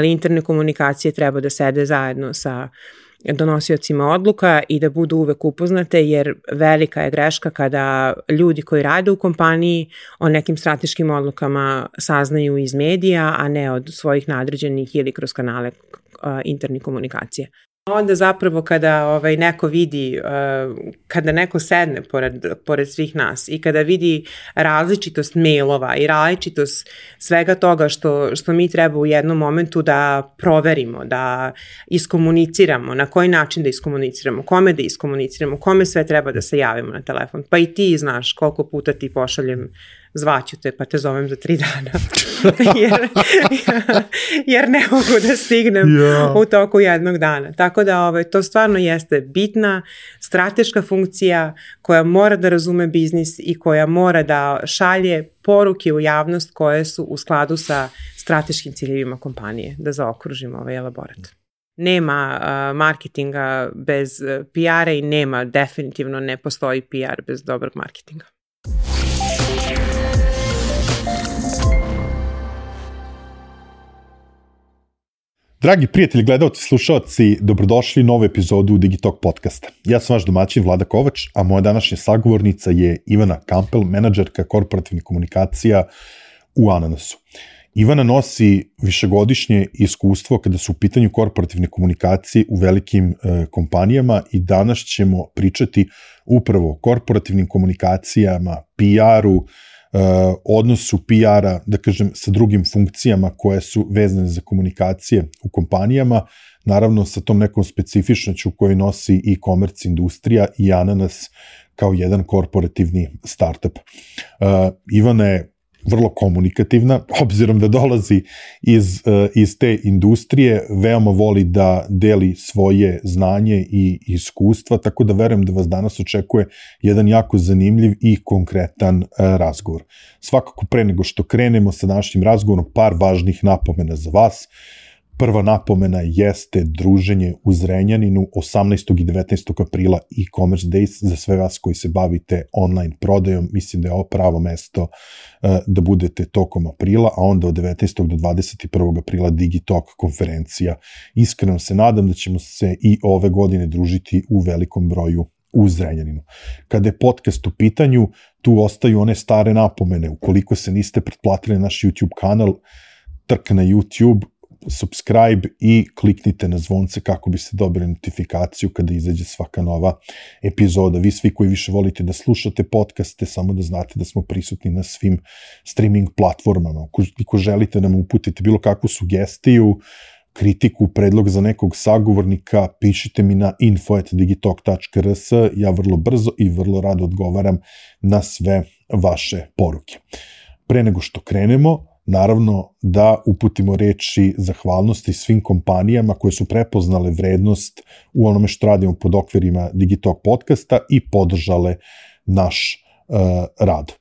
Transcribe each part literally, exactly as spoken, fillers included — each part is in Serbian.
Ali interne komunikacije treba da sede zajedno sa donosiocima odluka i da budu uvek upoznate, jer velika je greška kada ljudi koji rade u kompaniji o nekim strateškim odlukama saznaju iz medija, a ne od svojih nadređenih ili kroz kanale uh, internih komunikacije. Onda zapravo kada ovaj, neko vidi, uh, kada neko sedne pored, pored svih nas i kada vidi različitost mailova i različitost svega toga što, što mi treba u jednom momentu da proverimo, da iskomuniciramo, na koji način da iskomuniciramo, kome da iskomuniciramo, kome sve treba da se javimo na telefon. Pa i ti znaš koliko puta ti pošaljem zvaću te pa te zovem za tri dana jer, jer ne mogu da stignem yeah. u toku jednog dana. Tako da ovaj, to stvarno jeste bitna strateška funkcija koja mora da razume biznis i koja mora da šalje poruke u javnost koje su u skladu sa strateškim ciljevima kompanije, da zaokružimo ovaj elaborat. Nema uh, marketinga bez uh, P R-a i nema, definitivno ne postoji P R bez dobrog marketinga. Dragi prijatelji, gledalci, slušalci, dobrodošli u novu epizodu Digitalk podcasta. Ja sam vaš domaćin Vlada Kovač, a moja današnja sagovornica je Ivana Kampel, menadžerka korporativnih komunikacija u Ananasu. Ivana nosi višegodišnje iskustvo kada su u pitanju korporativne komunikacije u velikim e, kompanijama i danas ćemo pričati upravo o korporativnim komunikacijama, P R-u, Uh, odnosu P R-a, da kažem, sa drugim funkcijama koje su vezane za komunikacije u kompanijama, naravno sa tom nekom specifičnoću koju nosi e-commerce industrija i Ananas kao jedan korporativni startup. Uh, Ivana je vrlo komunikativna, obzirom da dolazi iz, uh, iz te industrije, veoma voli da deli svoje znanje i iskustva, tako da verujem da vas danas očekuje jedan jako zanimljiv i konkretan uh, razgovor. Svakako pre nego što krenemo sa današnjim razgovorom, par važnih napomena za vas. Prva napomena jeste druženje u Zrenjaninu osamnaestog i devetnaestog aprila e-commerce days za sve vas koji se bavite online prodajom. Mislim da je ovo pravo mesto uh, da budete tokom aprila, a onda od devetnaestog do dvadeset prvog aprila Digitalk konferencija. Iskreno se nadam da ćemo se i ove godine družiti u velikom broju u Zrenjaninu. Kada je podcast u pitanju, tu ostaju one stare napomene. Ukoliko se niste pretplatili na naš YouTube kanal, trk na YouTube, subscribe i kliknite na zvonce kako biste dobili notifikaciju kada izađe svaka nova epizoda. Vi svi koji više volite da slušate podcaste, samo da znate da smo prisutni na svim streaming platformama. Ukoliko želite da nam uputite bilo kakvu sugestiju, kritiku, predlog za nekog sagovornika, pišite mi na info at digitalk tačka r s. Ja vrlo brzo i vrlo rado odgovaram na sve vaše poruke. Pre nego što krenemo, naravno da uputimo reči zahvalnosti svim kompanijama koje su prepoznale vrednost u onome što radimo pod okvirima Digitalk podcasta i podržale naš uh, rad.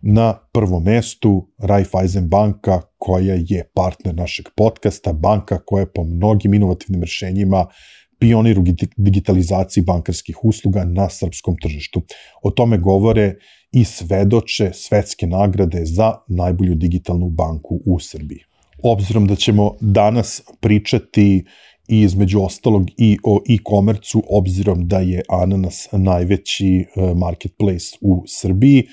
Na prvom mestu Raiffeisen banka, koja je partner našeg podcasta, banka koja je po mnogim inovativnim rešenjima pionir u digitalizaciji bankarskih usluga na srpskom tržištu. O tome govore i svedoče svetske nagrade za najbolju digitalnu banku u Srbiji. Obzirom da ćemo danas pričati i između ostalog i o e-commerce-u, obzirom da je Ananas najveći marketplace u Srbiji,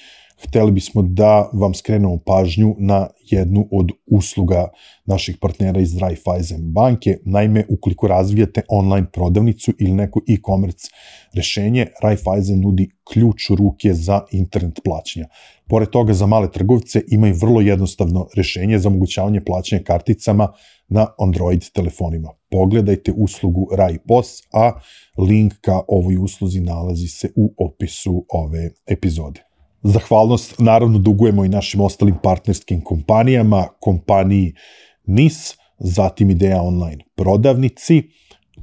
hteli bismo da vam skrenemo pažnju na jednu od usluga naših partnera iz Raiffeisen banke. Naime, ukoliko razvijate online prodavnicu ili neko e-commerce rešenje, Raiffeisen nudi ključ u ruke za internet plaćanja. Pored toga, za male trgovce imaju vrlo jednostavno rešenje za omogućavanje plaćanja karticama na Android telefonima. Pogledajte uslugu RaiPos, a link ka ovoj usluzi nalazi se u opisu ove epizode. Zahvalnost naravno dugujemo i našim ostalim partnerskim kompanijama, kompaniji N I S, zatim Ideja online prodavnici.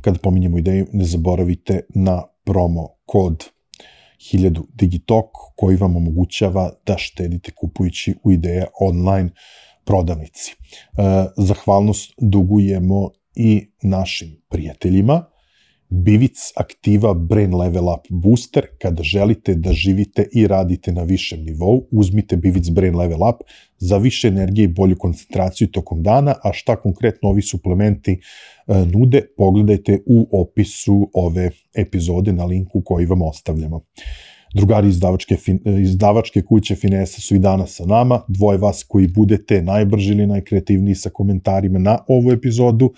Kada pominjemo Ideju, ne zaboravite na promo kod hiljadu Digitalk koji vam omogućava da štedite kupujući u Ideja online prodavnici. Zahvalnost dugujemo i našim prijateljima Bivic aktiva Brain Level Up Booster. Kada želite da živite i radite na višem nivou, uzmite Bivic Brain Level Up za više energije i bolju koncentraciju tokom dana, a šta konkretno ovi suplementi nude, pogledajte u opisu ove epizode na linku koji vam ostavljamo. Drugari izdavačke, izdavačke kuće Finesa su i danas sa nama, dvoje vas koji budete najbrži ili najkreativniji sa komentarima na ovu epizodu,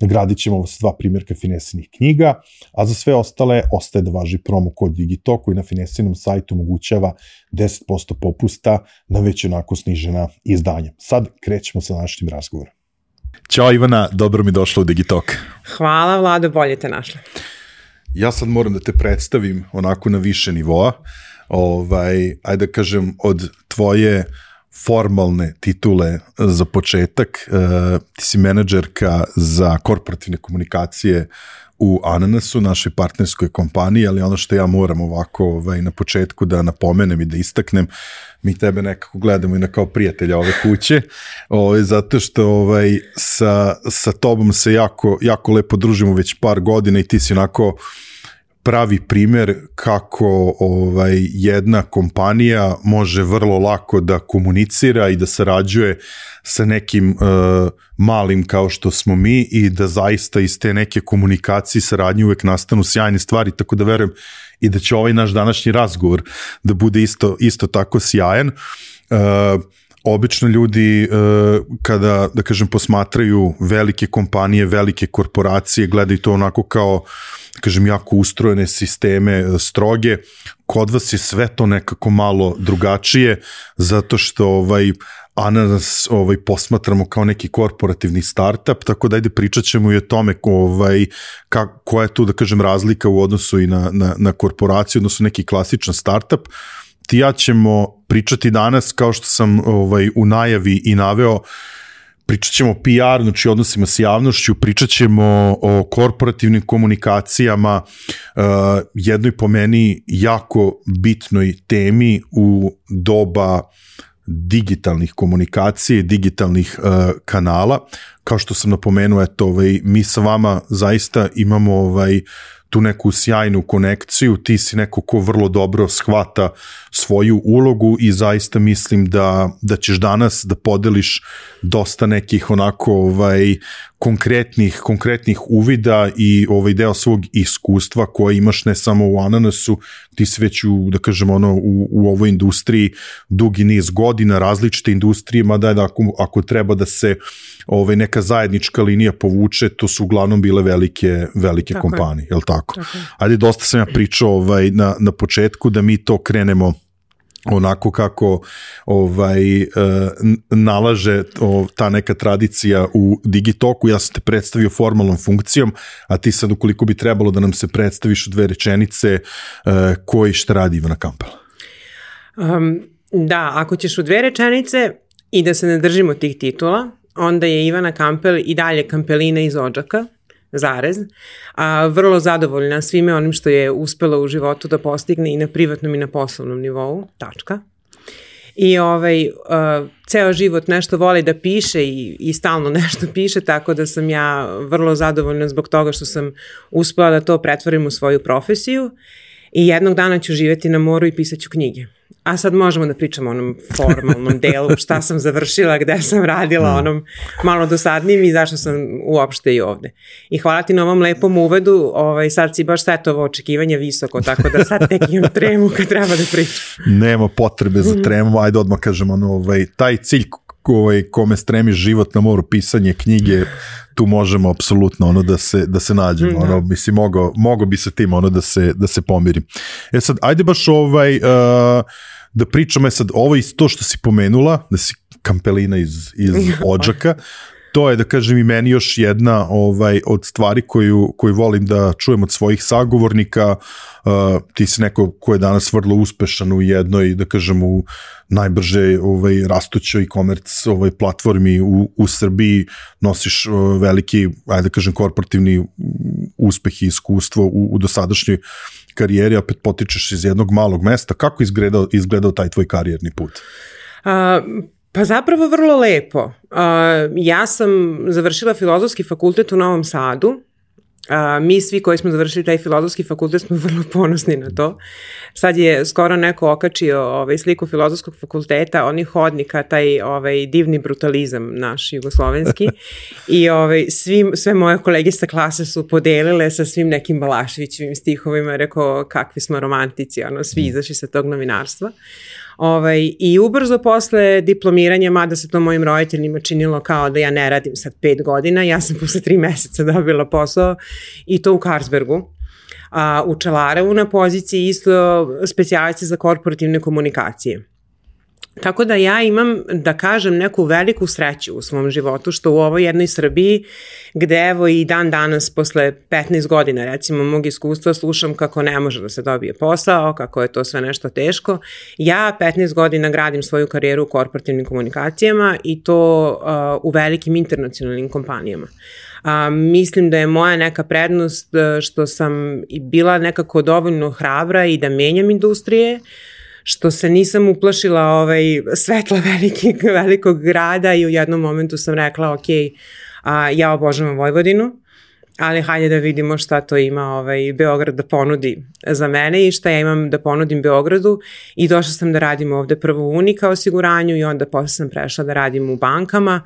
nagradit ćemo vas dva primjerka Finesinih knjiga, a za sve ostale ostaje da važi promo kod Digitalk koji na Finesinom sajtu omogućava deset posto popusta na već onako snižena izdanja. Sad krećemo sa današnjim razgovorom. Ćao Ivana, dobro mi došla u Digitalk. Hvala Vlado, bolje te našla. Ja sad moram da te predstavim onako na više nivoa, ovaj, ajde da kažem od tvoje formalne titule za početak, uh, ti si menadžerka za korporativne komunikacije u Ananasu, našoj partnerskoj kompaniji, ali ono što ja moram ovako ovaj, na početku da napomenem i da istaknem, mi tebe nekako gledamo i na kao prijatelja ove kuće, ovaj, zato što ovaj, sa, sa tobom se jako, jako lepo družimo već par godina i ti si onako pravi primjer kako ovaj, jedna kompanija može vrlo lako da komunicira i da sarađuje sa nekim uh, malim kao što smo mi i da zaista iz te neke komunikacije i saradnje uvek nastanu sjajne stvari, tako da verujem i da će ovaj naš današnji razgovor da bude isto, isto tako sjajan. Uh, Obično ljudi kada, da kažem, posmatraju velike kompanije, velike korporacije, gledaju to onako kao, da kažem, jako ustrojene sisteme, stroge. Kod vas je sve to nekako malo drugačije, zato što ovaj, Ananas ovaj, posmatramo kao neki korporativni startup, tako da ajde pričat ćemo i o tome ovaj, ka, koja je tu, da kažem, razlika u odnosu i na, na, na korporaciju, odnosno neki klasičan startup. Ti ja ćemo pričati danas, kao što sam ovaj, u najavi i naveo, pričat ćemo o P R, znači odnosima s javnošću, pričat ćemo o korporativnim komunikacijama, uh, jednoj po meni jako bitnoj temi u doba digitalnih komunikacija i digitalnih uh, kanala. Kao što sam napomenuo, eto, ovaj, mi sa vama zaista imamo ovaj, tu neku sjajnu konekciju, ti si neko ko vrlo dobro shvata svoju ulogu i zaista mislim da, da ćeš danas da podeliš dosta nekih onako ovaj, konkretnih, konkretnih uvida i ovaj deo svog iskustva koje imaš ne samo u Ananasu, ti si već u, da kažem, ono, u, u ovoj industriji dugi niz godina, različite industrije, mada je da ako, ako treba da se ovaj, neka zajednička linija povuče, to su uglavnom bile velike, velike tako kompanije, je li tako? Tako. Ajde, dosta sam ja pričao ovaj, na, na početku da mi to krenemo onako kako ovaj, uh, nalaže o, ta neka tradicija u Digitalku. Ja sam te predstavio formalnom funkcijom, a ti sad ukoliko bi trebalo da nam se predstaviš u dve rečenice uh, koji šta radi Ivana Campbell. Um, da, ako ćeš u dve rečenice i da se ne držimo tih titula, onda je Ivana Campbell i dalje Campbellina iz Odžaka, zarez, a vrlo zadovoljna svime onim što je uspela u životu da postigne i na privatnom i na poslovnom nivou, tačka. I ovaj, uh, ceo život nešto voli da piše i, i stalno nešto piše, tako da sam ja vrlo zadovoljna zbog toga što sam uspela da to pretvorim u svoju profesiju i jednog dana ću živjeti na moru i pisat ću knjige. A sad možemo da pričamo o onom formalnom delu, šta sam završila, gde sam radila, onom malo dosadnijim i zašto sam uopšte i ovde. I hvala ti na ovom lepom uvedu, ovaj, sad si baš setovo očekivanje visoko, tako da sad tek imam tremu kad treba da pričam. Nema potrebe za tremu, ajde odmah kažem, ono, ovaj, taj cilj ovaj, kome stremi život na moru, pisanje knjige, tu možemo apsolutno ono da se da se nađemo, mm, ono mislim mogo mogo bi se tim ono da se da se pomiri. E sad ajde baš ovaj uh, da pričamo sad ovo isto što si pomenula, da si Campbellina iz iz Odžaka. To je, da kažem, i meni još jedna ovaj, od stvari koju, koju volim da čujem od svojih sagovornika. Uh, ti si neko ko je danas vrlo uspešan u jednoj, da kažem, u najbrže ovaj, rastućoj e-commerce ovaj, platformi u, u Srbiji, nosiš uh, veliki, ajde da kažem, korporativni uspeh i iskustvo u, u dosadašnjoj karijeri, opet potičeš iz jednog malog mesta. Kako izgledao, izgledao taj tvoj karijerni put? Uh... Pa zapravo vrlo lepo. Uh, ja sam završila Filozofski fakultet u Novom Sadu A, mi svi koji smo završili taj filozofski fakultet smo vrlo ponosni na to. Sad je skoro neko okačio ovaj, sliku filozofskog fakulteta, onih hodnika, taj ovaj, divni brutalizam naš jugoslovenski i ovaj, svi, sve moje kolege sa klase su podelile sa svim nekim Balaševićevim stihovima, rekao kakvi smo romantici, ono, svi izašli sa tog novinarstva. Ovaj, I ubrzo posle diplomiranja, mada se to mojim roditeljima činilo kao da ja ne radim sad pet godina, ja sam posle tri meseca dobila posao i to u Carlsbergu, a, u Čelarevu na poziciji isto specijalisti za korporativne komunikacije. Tako da ja imam, da kažem, neku veliku sreću u svom životu, što u ovoj jednoj Srbiji, gde evo i dan danas, posle petnaest godina, recimo, mog iskustva, slušam kako ne može da se dobije posao, kako je to sve nešto teško. Ja petnaest godina gradim svoju karijeru u korporativnim komunikacijama i to uh, u velikim internacionalnim kompanijama. A, mislim da je moja neka prednost što sam bila nekako dovoljno hrabra i da menjam industrije, što se nisam uplašila ovaj, svetla velikog, velikog grada i u jednom momentu sam rekla, ok, a, ja obožavam Vojvodinu, ali hajde da vidimo šta to ima ovaj, Beograd da ponudi za mene i šta ja imam da ponudim Beogradu i došla sam da radim ovde prvo u Unika osiguranju i onda posle sam prešla da radim u bankama.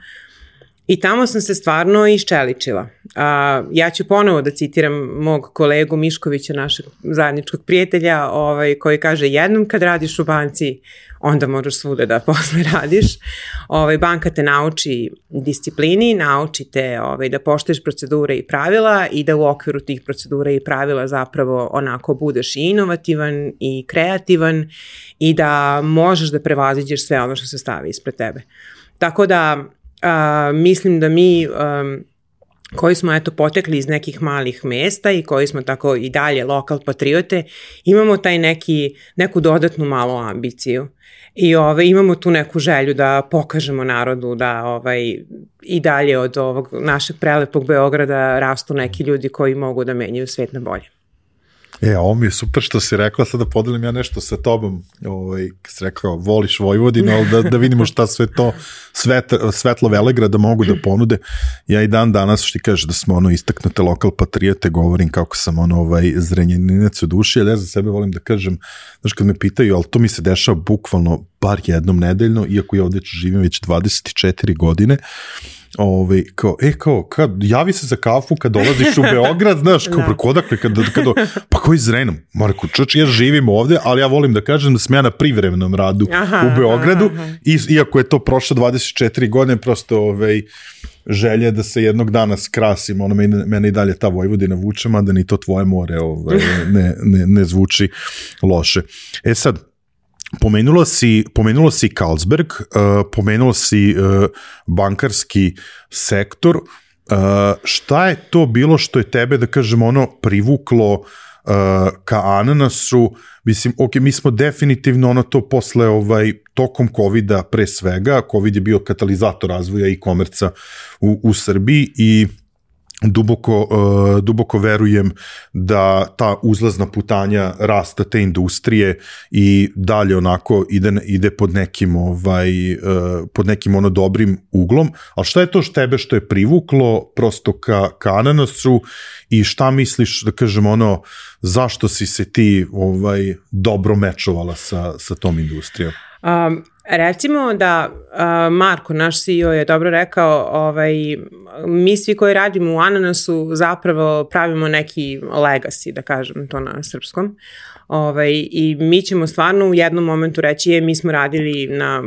I tamo sam se stvarno iščeličila. A, ja ću ponovo da citiram mog kolegu Miškovića, našeg zajedničkog prijatelja, ovaj, koji kaže jednom kad radiš u banci, onda moraš svuda da posle radiš. Ovaj, banka te nauči disciplini, nauči te ovaj, da poštuješ procedure i pravila i da u okviru tih procedura i pravila zapravo onako budeš i inovativan i kreativan i da možeš da prevaziđeš sve ono što se stavi ispred tebe. Tako da Uh, mislim da mi um, koji smo eto potekli iz nekih malih mesta i koji smo tako i dalje lokal patriote, imamo taj neki, neku dodatnu malu ambiciju i ovaj, imamo tu neku želju da pokažemo narodu da ovaj, i dalje od ovog našeg prelepog Beograda rastu neki ljudi koji mogu da menjaju svet na bolje. E, ovo mi je super što si rekla, sad da podelim ja nešto sa tobom, ovaj, kad si rekao, voliš Vojvodinu, ali da, da vidimo šta sve to svet, svetlo Velegrada mogu da ponude. Ja i dan danas, što ti kažeš da smo ono istaknute lokal patriote, govorim kako sam ono ovaj zrenjaninac u duši, ali ja za sebe volim da kažem, znaš kad me pitaju, ali to mi se dešava bukvalno bar jednom nedeljno, iako ja ovde živim već dvadeset četiri godine, Ove, kao, e, kao, kad, javi se za kafu kad dolaziš u Beograd, znaš, kao, preko odakle, kad, kad, pa koji Zrenom? Marko, čoč, ja živim ovde, ali ja volim da kažem da sam ja na privremenom radu aha, u Beogradu, aha, aha. I, iako je to prošlo dvadeset četiri godine, prosto, ovaj, želje da se jednog dana skrasim, ono, mene, mene i dalje ta Vojvodina vuče, mada ni to tvoje more ovaj, ne, ne, ne zvuči loše. E sad, Pomenulo si, pomenulo si Carlsberg, uh, pomenulo si uh, bankarski sektor. Uh, šta je to bilo što je tebe, da kažem, ono, privuklo uh, ka ananasu? Mislim, ok, mi smo definitivno ono to posle, ovaj, tokom covida pre svega, covid je bio katalizator razvoja e-komerca u, u Srbiji i Duboko, uh, duboko verujem da ta uzlazna putanja rasta te industrije i dalje onako ide, ide pod nekim ovaj, uh, pod nekim ono dobrim uglom, ali šta je to što tebe što je privuklo prosto ka, ka ananasu i šta misliš, da kažem ono, zašto si se ti ovaj, dobro mečovala sa, sa tom industrijom? Um, recimo da uh, Marko, naš C E O, je dobro rekao, ovaj, mi svi koji radimo u ananasu zapravo pravimo neki legacy, da kažem to na srpskom, ovaj, i mi ćemo stvarno u jednom momentu reći je, mi smo radili na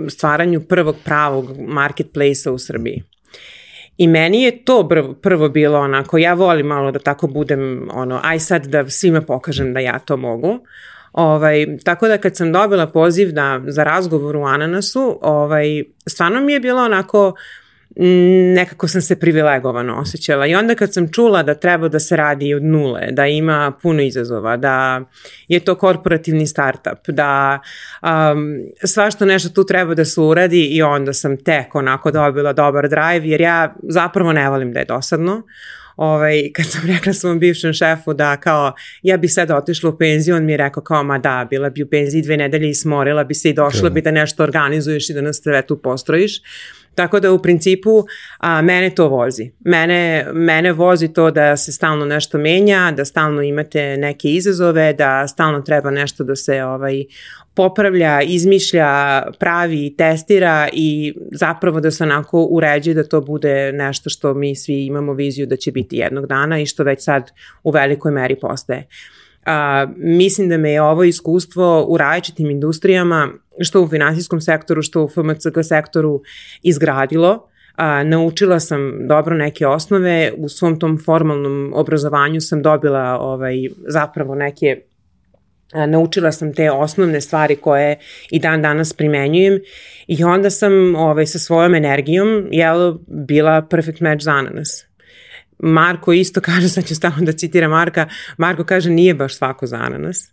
stvaranju prvog pravog marketplace-a u Srbiji. I meni je to prvo, prvo bilo onako, ja volim malo da tako budem, ono, aj sad da svima pokažem da ja to mogu. Ovaj, tako da kad sam dobila poziv da, za razgovor u Ananasu, ovaj, stvarno mi je bilo onako, nekako sam se privilegovano osjećala i onda kad sam čula da treba da se radi od nule, da ima puno izazova, da je to korporativni startup, da um, svašta nešto tu treba da se uradi i onda sam tek onako dobila dobar drive jer ja zapravo ne volim da je dosadno. Ovaj, kad sam rekla svom bivšem šefu da kao ja bi sad otišla u penziju, on mi je rekao kao ma da, bila bi u penziji dve nedelje i smorila bi se i došla bi da nešto organizuješ i da nas sve tu postrojiš. Tako da u principu a, mene to vozi. Mene, mene vozi to da se stalno nešto menja, da stalno imate neke izazove, da stalno treba nešto da se ovaj, popravlja, izmišlja, pravi, testira i zapravo da se onako uređuje da to bude nešto što mi svi imamo viziju da će biti jednog dana i što već sad u velikoj meri postaje. A, mislim da me je ovo iskustvo u različitim industrijama, što u finansijskom sektoru, što u F M C G sektoru izgradilo. A, naučila sam dobro neke osnove, u svom tom formalnom obrazovanju sam dobila ovaj, zapravo neke, a, naučila sam te osnovne stvari koje i dan danas primenjujem i onda sam ovaj, sa svojom energijom jel, bila perfect match za ananas. Marko isto kaže, sad ću stavno da citira Marka, Marko kaže nije baš svako za ananas.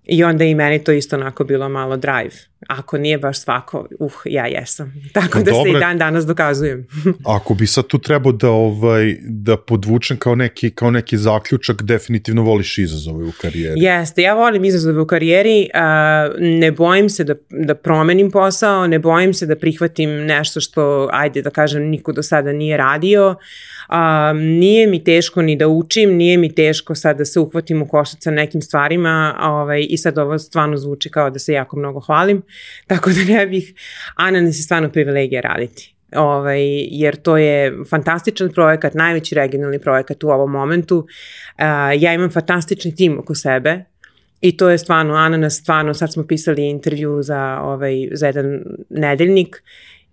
I onda i meni to isto onako bilo malo drive. Ako nije baš svako, uh, ja jesam. Tako no, da dobre. Se i dan danas dokazujem. Ako bi sad tu trebao da, ovaj, da podvučem kao neki, kao neki zaključak, definitivno voliš izazove u karijeri. Jeste, ja volim izazove u karijeri, uh, ne bojim se da, da promenim posao, ne bojim se da prihvatim nešto što, ajde da kažem, niko do sada nije radio. Uh, nije mi teško ni da učim, nije mi teško sad da se uhvatim u koštac sa nekim stvarima ovaj, i sad ovo stvarno zvuči kao da se jako mnogo hvalim, tako da ne bih, ananas je stvarno privilegija raditi. Ovaj, jer to je fantastičan projekat, najveći regionalni projekat u ovom momentu. Uh, ja imam fantastični tim oko sebe i to je stvarno, ananas stvarno, sad smo pisali intervju za, ovaj, za jedan nedeljnik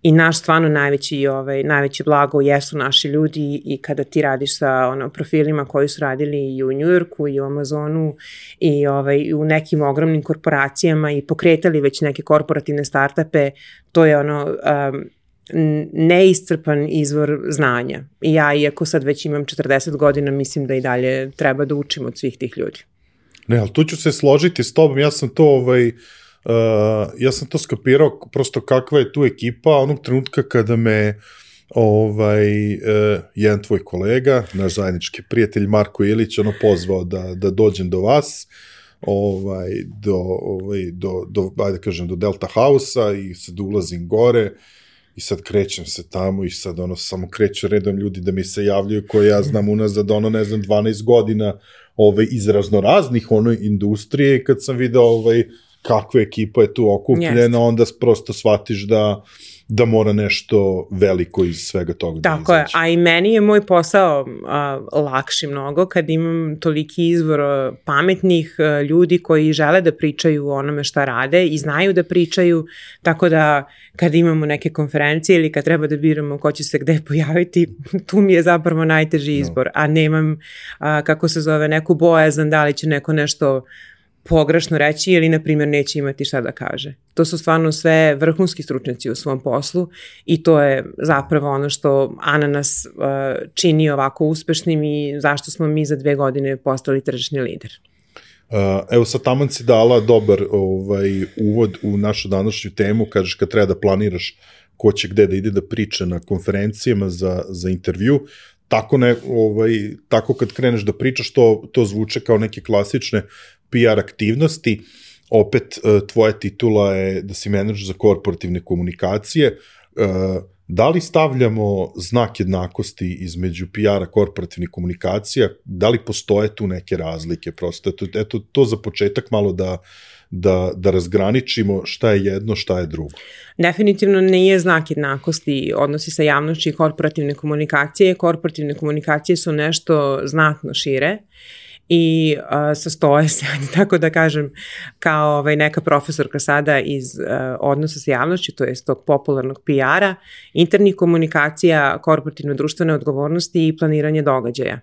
i naš stvarno najveći, ovaj, najveći blago jesu naši ljudi i kada ti radiš sa ono, profilima koji su radili i u Njujorku i u Amazonu i ovaj, u nekim ogromnim korporacijama i pokretali već neke korporativne startupe, to je ono um, neiscrpan izvor znanja. I ja, iako sad već imam četrdeset godina, mislim da i dalje treba da učim od svih tih ljudi. Ne, ali tu ću se složiti s tobom, ja sam to ovaj... Uh, ja sam to skapirao prosto kakva je tu ekipa onog trenutka kada me ovaj, uh, jedan tvoj kolega, naš zajednički prijatelj Marko Ilić, ono pozvao da, da dođem do vas, ovaj, do, ovaj, do, do, ajde kažem, do Delta House-a i sad ulazim gore i sad krećem se tamo i sad ono samo kreću redom ljudi da mi se javljaju koje ja znam unazad ono ne znam dvanaest godina ovaj, iz raznoraznih ono industrije i kad sam video ovaj kakva ekipa je tu okupljena, yes. Onda prosto shvatiš da, da mora nešto veliko iz svega toga da izaći. Tako je, a i meni je moj posao a, lakši mnogo kad imam toliki izvor a, pametnih a, ljudi koji žele da pričaju o onome šta rade i znaju da pričaju, tako da kad imamo neke konferencije ili kad treba da biramo ko će se gde pojaviti, tu mi je zapravo najteži izbor, no. A nemam, a, kako se zove, neku bojazan da li će neko nešto pogrešno reći ili, na primjer, neće imati šta da kaže. To su stvarno sve vrhunski stručnjaci u svom poslu i to je zapravo ono što ananas uh, čini ovako uspešnim i zašto smo mi za dve godine postali tržišni lider. Uh, evo sad taman si dala dobar ovaj, uvod u našu današnju temu, kažeš kad treba da planiraš ko će gde da ide da priča na konferencijama za, za intervju, tako, ne, ovaj, tako kad kreneš da pričaš to, to zvuče kao neke klasične P R aktivnosti, opet tvoja titula je da si menadžer za korporativne komunikacije, da li stavljamo znak jednakosti između P R-a korporativnih komunikacija, da li postoje tu neke razlike, prosto, eto, eto to za početak malo da, da, da razgraničimo šta je jedno, šta je drugo. Definitivno nije znak jednakosti odnosi sa javnošću i korporativne komunikacije, korporativne komunikacije su nešto znatno šire, i uh, sastoje se, tako da kažem, kao ovaj, neka profesorka sada iz uh, odnosa sa javnošću, to je tog popularnog P R-a, internih komunikacija, korporativne društvene odgovornosti i planiranje događaja.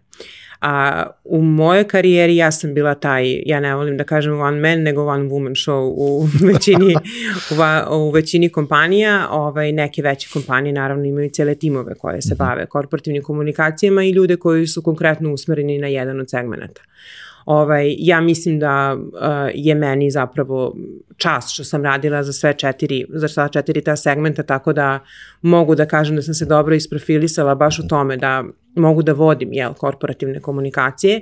A u mojoj karijeri ja sam bila taj, ja ne volim da kažem one man, nego one woman show u većini, u, u većini kompanija. Ovaj, neke veće kompanije naravno imaju cijele timove koje se bave korporativnim komunikacijama i ljude koji su konkretno usmereni na jedan od segmenata. Ovaj, ja mislim da uh, je meni zapravo čast što sam radila za sve četiri, za sva četiri ta segmenta, tako da mogu da kažem da sam se dobro isprofilisala baš u tome da mogu da vodim, jel, korporativne komunikacije,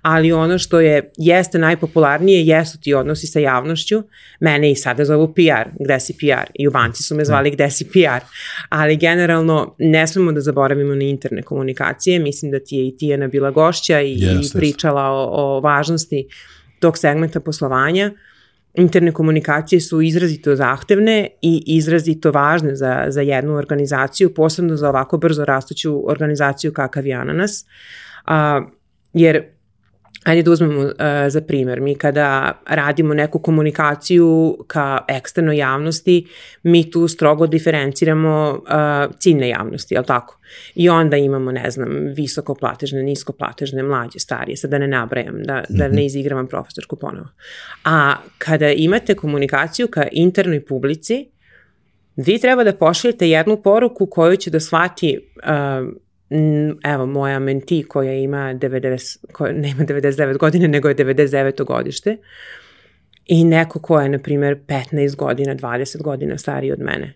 ali ono što je, jeste najpopularnije, jesu ti odnosi sa javnošću, mene i sada zovu P R, gde si P R, i u banci su me zvali gde si P R, ali generalno ne smemo da zaboravimo na interne komunikacije, mislim da ti je i Tijana bila gošća i, yes, i pričala o, o važnosti tog segmenta poslovanja. Interne komunikacije su izrazito zahtevne i izrazito važne za, za jednu organizaciju, posebno za ovako brzo rastuću organizaciju kakav je Ananas, a, jer ajde da uzmemo uh, za primjer, mi kada radimo neku komunikaciju ka eksternoj javnosti, mi tu strogo diferenciramo uh, ciljne javnosti, jel tako? I onda imamo, ne znam, visokoplatežne, niskoplatežne, mlađe, starije, sad da ne nabrajam, da, da ne izigravam profesorsku ponovo. A kada imate komunikaciju ka internoj publici, vi treba da pošaljete jednu poruku koju će da shvati uh, evo, moja menti koja ima devedeset, koja ne ima devedeset devet godine, nego je devedeset deveto godište i neko ko je, na primjer, petnaest godina, dvadeset godina stariji od mene.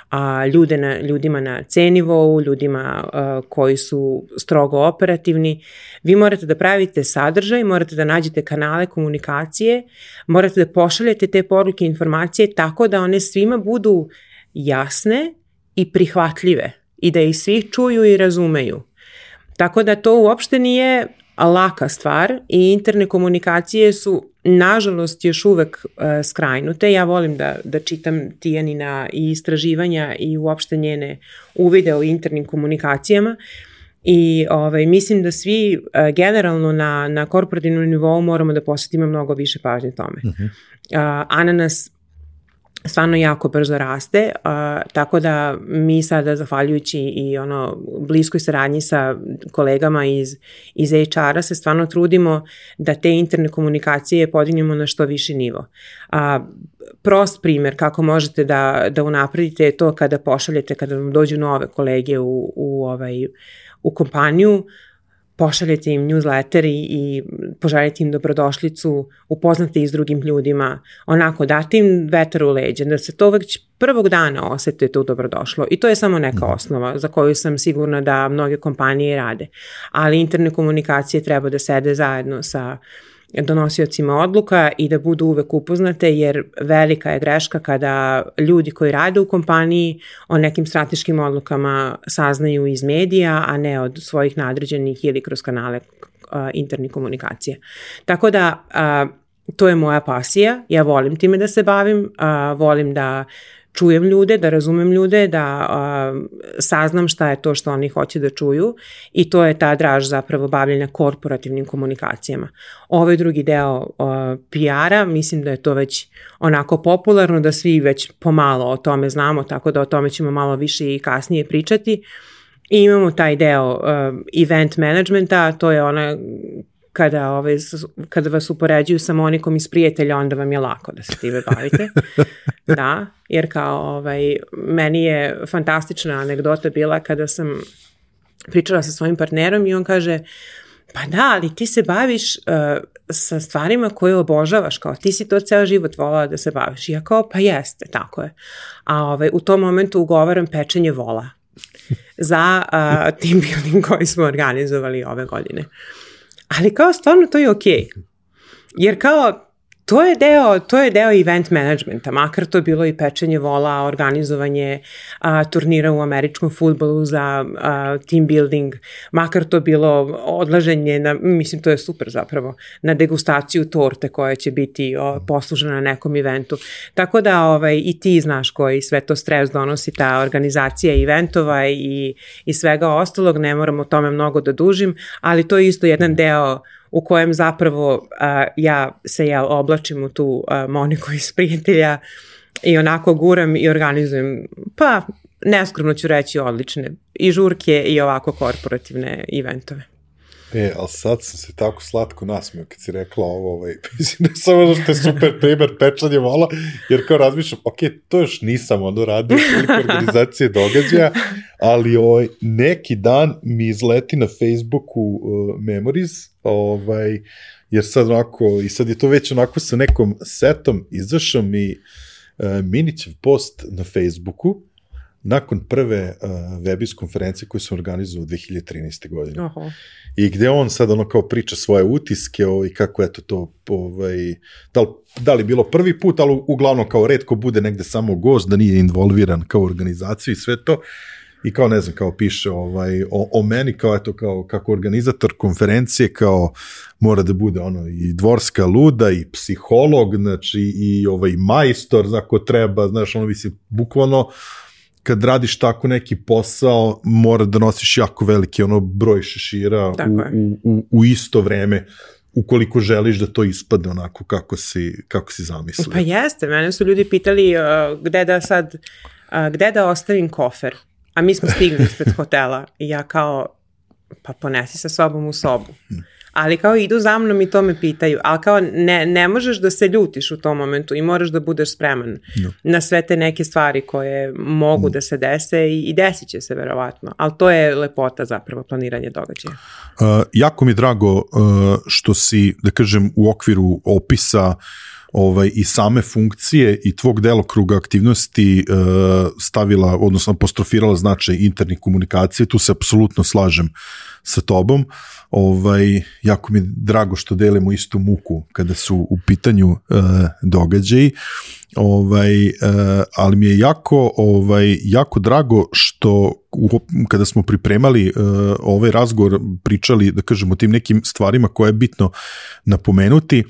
A, ljude na, ljudima na C nivou, ljudima a, koji su strogo operativni, vi morate da pravite sadržaj, morate da nađete kanale komunikacije, morate da pošaljete te poruke i informacije tako da one svima budu jasne i prihvatljive i da ih svi čuju i razumeju. Tako da to uopšte nije laka stvar i interne komunikacije su, nažalost, još uvek uh, skrajnute. Ja volim da, da čitam Tijanina i istraživanja i uopšte njene uvide o internim komunikacijama i ovaj, mislim da svi uh, generalno na, na korporativnom nivou moramo da posvetimo mnogo više pažnje tome. Uh-huh. Uh, Ananas stvarno jako brzo raste, uh, tako da mi sada, zahvaljujući i ono bliskoj saradnji sa kolegama iz, iz H R-a, se stvarno trudimo da te interne komunikacije podignemo na što viši nivo. Uh, prost primjer kako možete da, da unapredite je to kada pošaljete, kada vam dođu nove kolege u, u, ovaj, u kompaniju, pošaljete im newsletter i, i poželjete im dobrodošlicu, upoznate ih s drugim ljudima, onako date im vetar u leđe, da se to već prvog dana osete tu dobrodošlo. I to je samo neka osnova za koju sam sigurna da mnoge kompanije rade. Ali interne komunikacije treba da sede zajedno sa donosiocima odluka i da budu uvek upoznate, jer velika je greška kada ljudi koji rade u kompaniji o nekim strateškim odlukama saznaju iz medija, a ne od svojih nadređenih ili kroz kanale uh, internih komunikacija. Tako da uh, to je moja pasija, ja volim time da se bavim, uh, volim da čujem ljude, da razumem ljude, da uh, saznam šta je to što oni hoće da čuju i to je ta draž zapravo bavljenja korporativnim komunikacijama. Ovaj drugi deo uh, P R-a, mislim da je to već onako popularno, da svi već pomalo o tome znamo, tako da o tome ćemo malo više i kasnije pričati. I imamo taj deo uh, event managementa, to je ona kada, ovaj, kada vas upoređuju sa Monikom iz Prijatelja, onda vam je lako da se time bavite. Da, jer kao ovaj, meni je fantastična anegdota bila kada sam pričala sa svojim partnerom i on kaže, pa da, ali ti se baviš uh, sa stvarima koje obožavaš, kao ti si to ceo život volala da se baviš. I ja kao, pa jeste, tako je. A ovaj, u tom momentu ugovaram pečenje vola za uh, team building koji smo organizovali ove godine. Ali kao stvarno to je okej. Jer kao to je deo, to je deo event managementa, makar to bilo i pečenje vola, organizovanje a, turnira u američkom fudbalu za a, team building, makar to bilo odlaženje, na, mislim to je super zapravo, na degustaciju torte koja će biti o, poslužena na nekom eventu. Tako da ovaj, i ti znaš koji sve to stres donosi ta organizacija eventova i, i svega ostalog, ne moram o tome mnogo da dužim, ali to je isto jedan deo u kojem zapravo uh, ja se ja oblačim u tu uh, Moniku iz Prijatelja i onako guram i organizujem, pa neskromno ću reći, odlične i žurke i ovako korporativne eventove. E, ali sad sam se tako slatko nasmio kad si rekla ovo, ovaj, mislim da samo što je super primer pečanje vola, jer kao razmišljam, ok, to još nisam ono radio koliko organizacije događaja, ali ovaj, neki dan mi izleti na Facebooku uh, Memories, ovaj, jer sad onako, i sad je to već onako sa nekom setom, izašao mi uh, Minićev post na Facebooku, nakon prve uh, Webis konferencije koju sam organizovao dve hiljade trinaeste. godine. Oho. I gde on sad ono kao priča svoje utiske i kako eto to, ovaj, da li, da li bilo prvi put, ali uglavnom kao retko bude negde samo gost, da nije involviran kao organizaciju i sve to. I kao ne znam, kao piše ovaj, o, o meni, kao eto, kao kako organizator konferencije, kao mora da bude ono i dvorska luda i psiholog, znači i ovaj majstor, ako treba, znaš, ono mislim, bukvalno kad radiš tako neki posao, mora da nosiš jako veliki ono broj šešira u, u, u, u isto vreme, ukoliko želiš da to ispadne onako kako si, kako si zamislio. Pa jeste, mene su ljudi pitali uh, gde da sad, uh, gde da ostavim kofer. A mi smo stigli ispred hotela i ja kao, pa ponesi sa sobom u sobu. Ali kao idu za mnom i to me pitaju. Ali kao ne, ne možeš da se ljutiš u tom momentu i moraš da budeš spreman no. na sve te neke stvari koje mogu no. da se dese i, i desit će se verovatno. Ali to je lepota zapravo planiranje događaja. Uh, jako mi je drago uh, što si, da kažem, u okviru opisa ovaj, i same funkcije i tvog delokruga aktivnosti uh, stavila, odnosno apostrofirala značaj internih komunikacije, tu se apsolutno slažem sa tobom. Ovaj, jako mi je drago što delimo istu muku kada su u pitanju uh, događaji, ovaj, uh, ali mi je jako, ovaj, jako drago što u, kada smo pripremali uh, ovaj razgovor, pričali, da kažemo, o tim nekim stvarima koje je bitno napomenuti,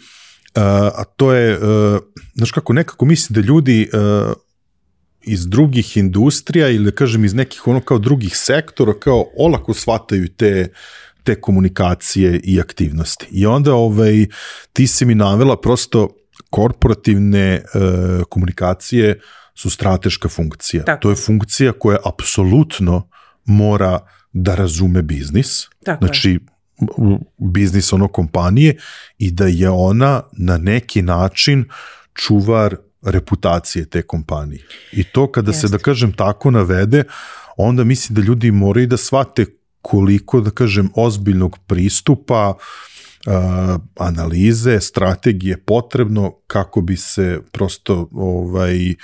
Uh, a to je, uh, znaš kako, nekako mislim da ljudi uh, iz drugih industrija ili da kažem iz nekih ono kao drugih sektora kao olako shvataju te, te komunikacije i aktivnosti. I onda ovaj, ti si mi navela prosto korporativne uh, komunikacije su strateška funkcija. Tako. To je funkcija koja apsolutno mora da razume biznis. Tako znači, je. biznis ono kompanije i da je ona na neki način čuvar reputacije te kompanije. I to kada Jeste. se, da kažem, tako navede, onda mislim da ljudi moraju da shvate koliko, da kažem, ozbiljnog pristupa, uh, analize, strategije potrebno kako bi se prosto ovaj, uh,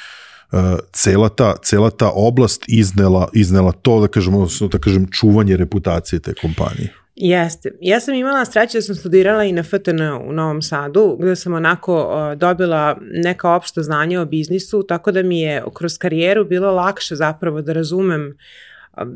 cela, ta, cela ta oblast iznela, iznela to, da kažem, odnosno, da kažem, čuvanje reputacije te kompanije. Jeste. Ja sam imala sreće da sam studirala i na F T N u Novom Sadu, gde sam onako uh, dobila neka opšta znanja o biznisu, tako da mi je kroz karijeru bilo lakše zapravo da razumem uh,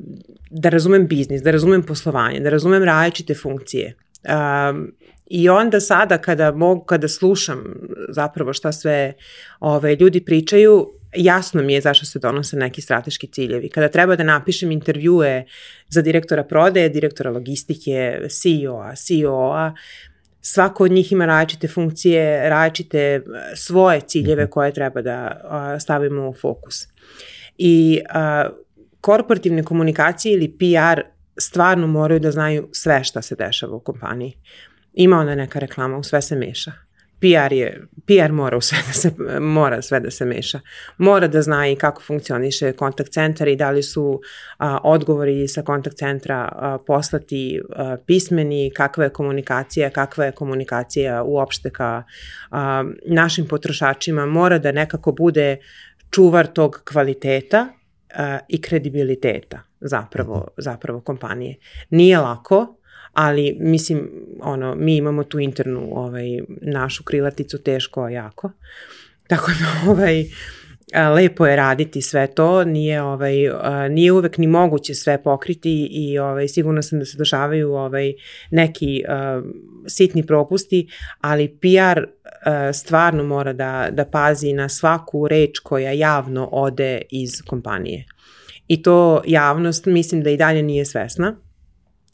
da razumem biznis, da razumem poslovanje, da razumem različite funkcije. Um, I onda sada kada mogu, kada slušam zapravo šta sve ove, ljudi pričaju, jasno mi je zašto se donose neki strateški ciljevi. Kada treba da napišem intervjue za direktora prodaje, direktora logistike, C E O-a, C E O-a, svako od njih ima različite funkcije, različite svoje ciljeve koje treba da a, stavimo u fokus. I a, korporativne komunikacije ili P R stvarno moraju da znaju sve šta se dešava u kompaniji. Ima ona neka reklama, u sve se meša. P R je, P R mora u sve da se, mora sve da se meša. Mora da zna i kako funkcioniše kontakt centar i da li su a, odgovori sa kontakt centra a, poslati a, pismeni, kakva je komunikacija, kakva je komunikacija uopšte ka a, našim potrošačima. Mora da nekako bude čuvar tog kvaliteta a, i kredibiliteta zapravo, zapravo kompanije. Nije lako, ali mislim, ono, mi imamo tu internu ovaj, našu krilaticu teško, a jako. Tako da ovaj, lepo je raditi sve to, nije, ovaj, nije uvek ni moguće sve pokriti i ovaj, sigurno sam da se dešavaju ovaj, neki uh, sitni propusti, ali P R uh, stvarno mora da, da pazi na svaku reč koja javno ode iz kompanije. I to javnost mislim da i dalje nije svesna.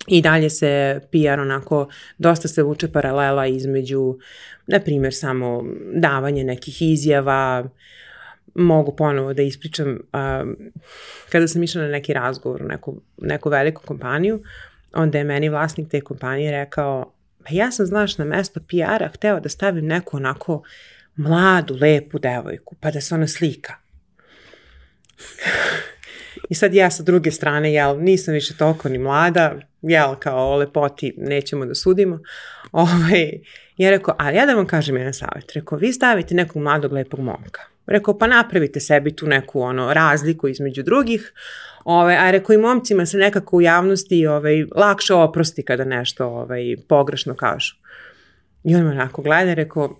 I dalje se P R onako, dosta se vuče paralela između, na primjer, samo davanje nekih izjava. Mogu ponovo da ispričam, um, kada sam išla na neki razgovor u neku, neku veliku kompaniju, onda je meni vlasnik te kompanije rekao, pa ja sam, znaš, na mesto P R-a hteo da stavim neku onako mladu, lepu devojku, pa da se ona slika. I sad ja sa druge strane, jel, nisam više toliko ni mlada, jel, kao o lepoti nećemo da sudimo. Ovaj, ja rekao, ali ja da vam kažem jedan savjet. Rekao, vi stavite nekog mladog, lepog momka. Rekao, pa napravite sebi tu neku ono, razliku između drugih, Ove, a rekao i momcima se nekako u javnosti ovaj, lakše oprosti kada nešto ovaj, pogrešno kažu. I on me onako gleda i rekao,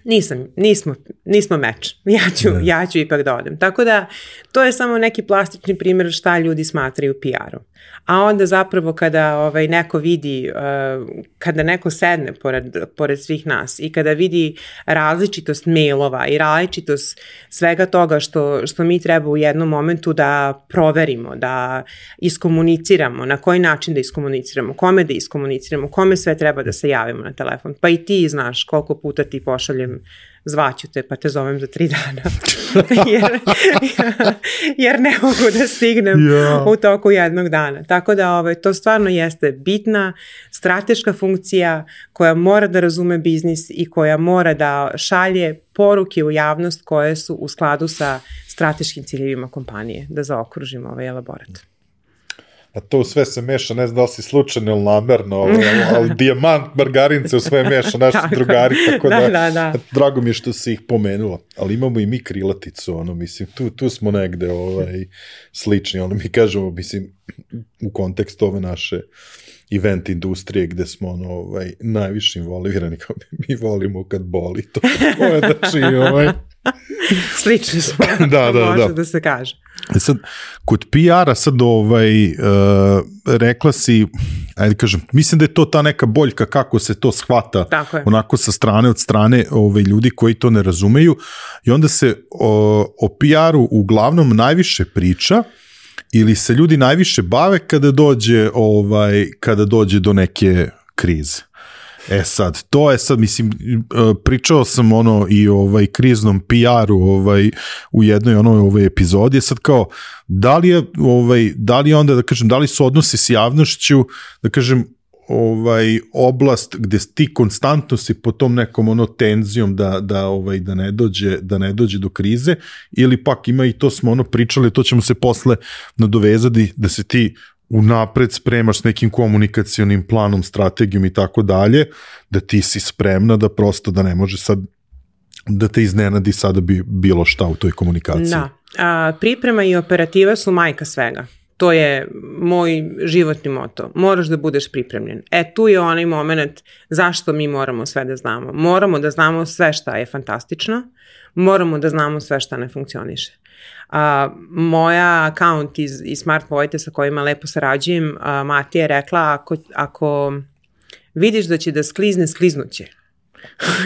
nisam, nismo, nismo meč, ja ću, ne. ja ću ipak da odem. Tako da to je samo neki plastični primjer šta ljudi smatraju P R-om. A onda zapravo kada ovaj, neko vidi, uh, kada neko sedne pored, pored svih nas i kada vidi različitost mailova i različitost svega toga što, što mi treba u jednom momentu da proverimo, da iskomuniciramo, na koji način da iskomuniciramo, kome da iskomuniciramo, kome sve treba da se javimo na telefon. Pa i ti znaš koliko puta ti pošaljem zvaću te, pa te zovem za tri dana. jer, jer ne mogu da stignem yeah. u toku jednog dana. Tako da ovaj, to stvarno jeste bitna strateška funkcija koja mora da razume biznis i koja mora da šalje poruke u javnost koje su u skladu sa strateškim ciljevima kompanije, da zaokružimo ovaj elaborat. A to sve se meša, ne znam da li si slučajno ili namerno, ali, ali dijamant, margarince u sve meša, naši drugari, tako da, da, da, da. Drago mi je što si ih pomenula. Ali imamo i mi krilaticu, ono, mislim, tu, tu smo negde ovaj, slični, ono, mi kažemo, mislim, u kontekstu ove naše event industrije gde smo ono, ovaj, najviše involvirani, kao mi volimo kad boli, to, to je znači, ovaj... Slični smo, da, da, može da. da se kaže. Sad, kod P R-a sad ovaj, uh, rekla si, ajde kažem, mislim da je to ta neka boljka kako se to shvata onako sa strane od strane ovaj, ljudi koji to ne razumeju i onda se o, o P R-u uglavnom najviše priča ili se ljudi najviše bave kada dođe, ovaj, kada dođe do neke krize. E sad, to je sad, mislim, pričao sam ono i ovaj kriznom P R-u ovaj, u jednoj onoj ovaj epizodi, sad kao, da li je, ovaj, da li je onda, da kažem, da li su odnosi s javnošću, da kažem, ovaj, oblast gde ti konstantno si po tom nekom ono tenzijom da, da, ovaj, da, ne dođe, da ne dođe do krize, ili pak ima i to smo ono pričali, to ćemo se posle nadovezati, da se ti unapred spremaš s nekim komunikacionim planom, strategijom i tako dalje, da ti si spremna da prosto da ne može sad da te iznenadi sada bi bilo šta u toj komunikaciji. Da, a, priprema i operativa su majka svega. To je moj životni moto. Moraš da budeš pripremljen. E, tu je onaj moment zašto mi moramo sve da znamo. Moramo da znamo sve šta je fantastično, moramo da znamo sve šta ne funkcioniše. A, moja account iz, iz Smart Vojte sa kojima lepo sarađujem, a, Matija je rekla ako, ako vidiš da će da sklizne, skliznuće.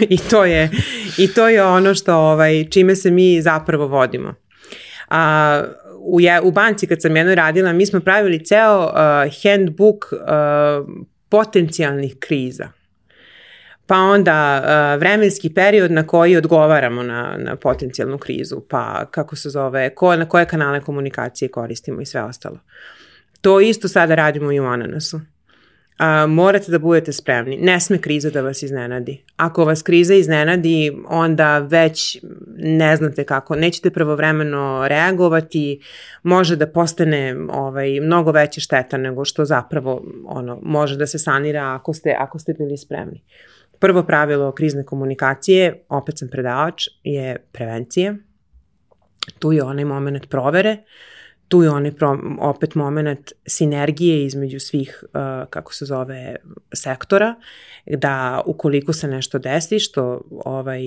I, to je, I to je ono što, ovaj, čime se mi zapravo vodimo. A, u, je, u banci kad sam jedno radila, mi smo pravili ceo uh, handbook uh, potencijalnih kriza. Pa onda uh, vremenski period na koji odgovaramo na, na potencijalnu krizu, pa kako se zove, ko, na koje kanale komunikacije koristimo i sve ostalo. To isto sada radimo i u Ananasu. Uh, morate da budete spremni. Ne sme kriza da vas iznenadi. Ako vas kriza iznenadi, onda već ne znate kako. Nećete pravovremeno reagovati, može da postane ovaj, mnogo veća šteta nego što zapravo ono, može da se sanira ako ste, ako ste bili spremni. Prvo pravilo krizne komunikacije, opet sam predavač, je prevencija. Tu je onaj moment provere, tu je onaj pro, opet moment sinergije između svih, uh, kako se zove, sektora, da ukoliko se nešto desi, što ovaj,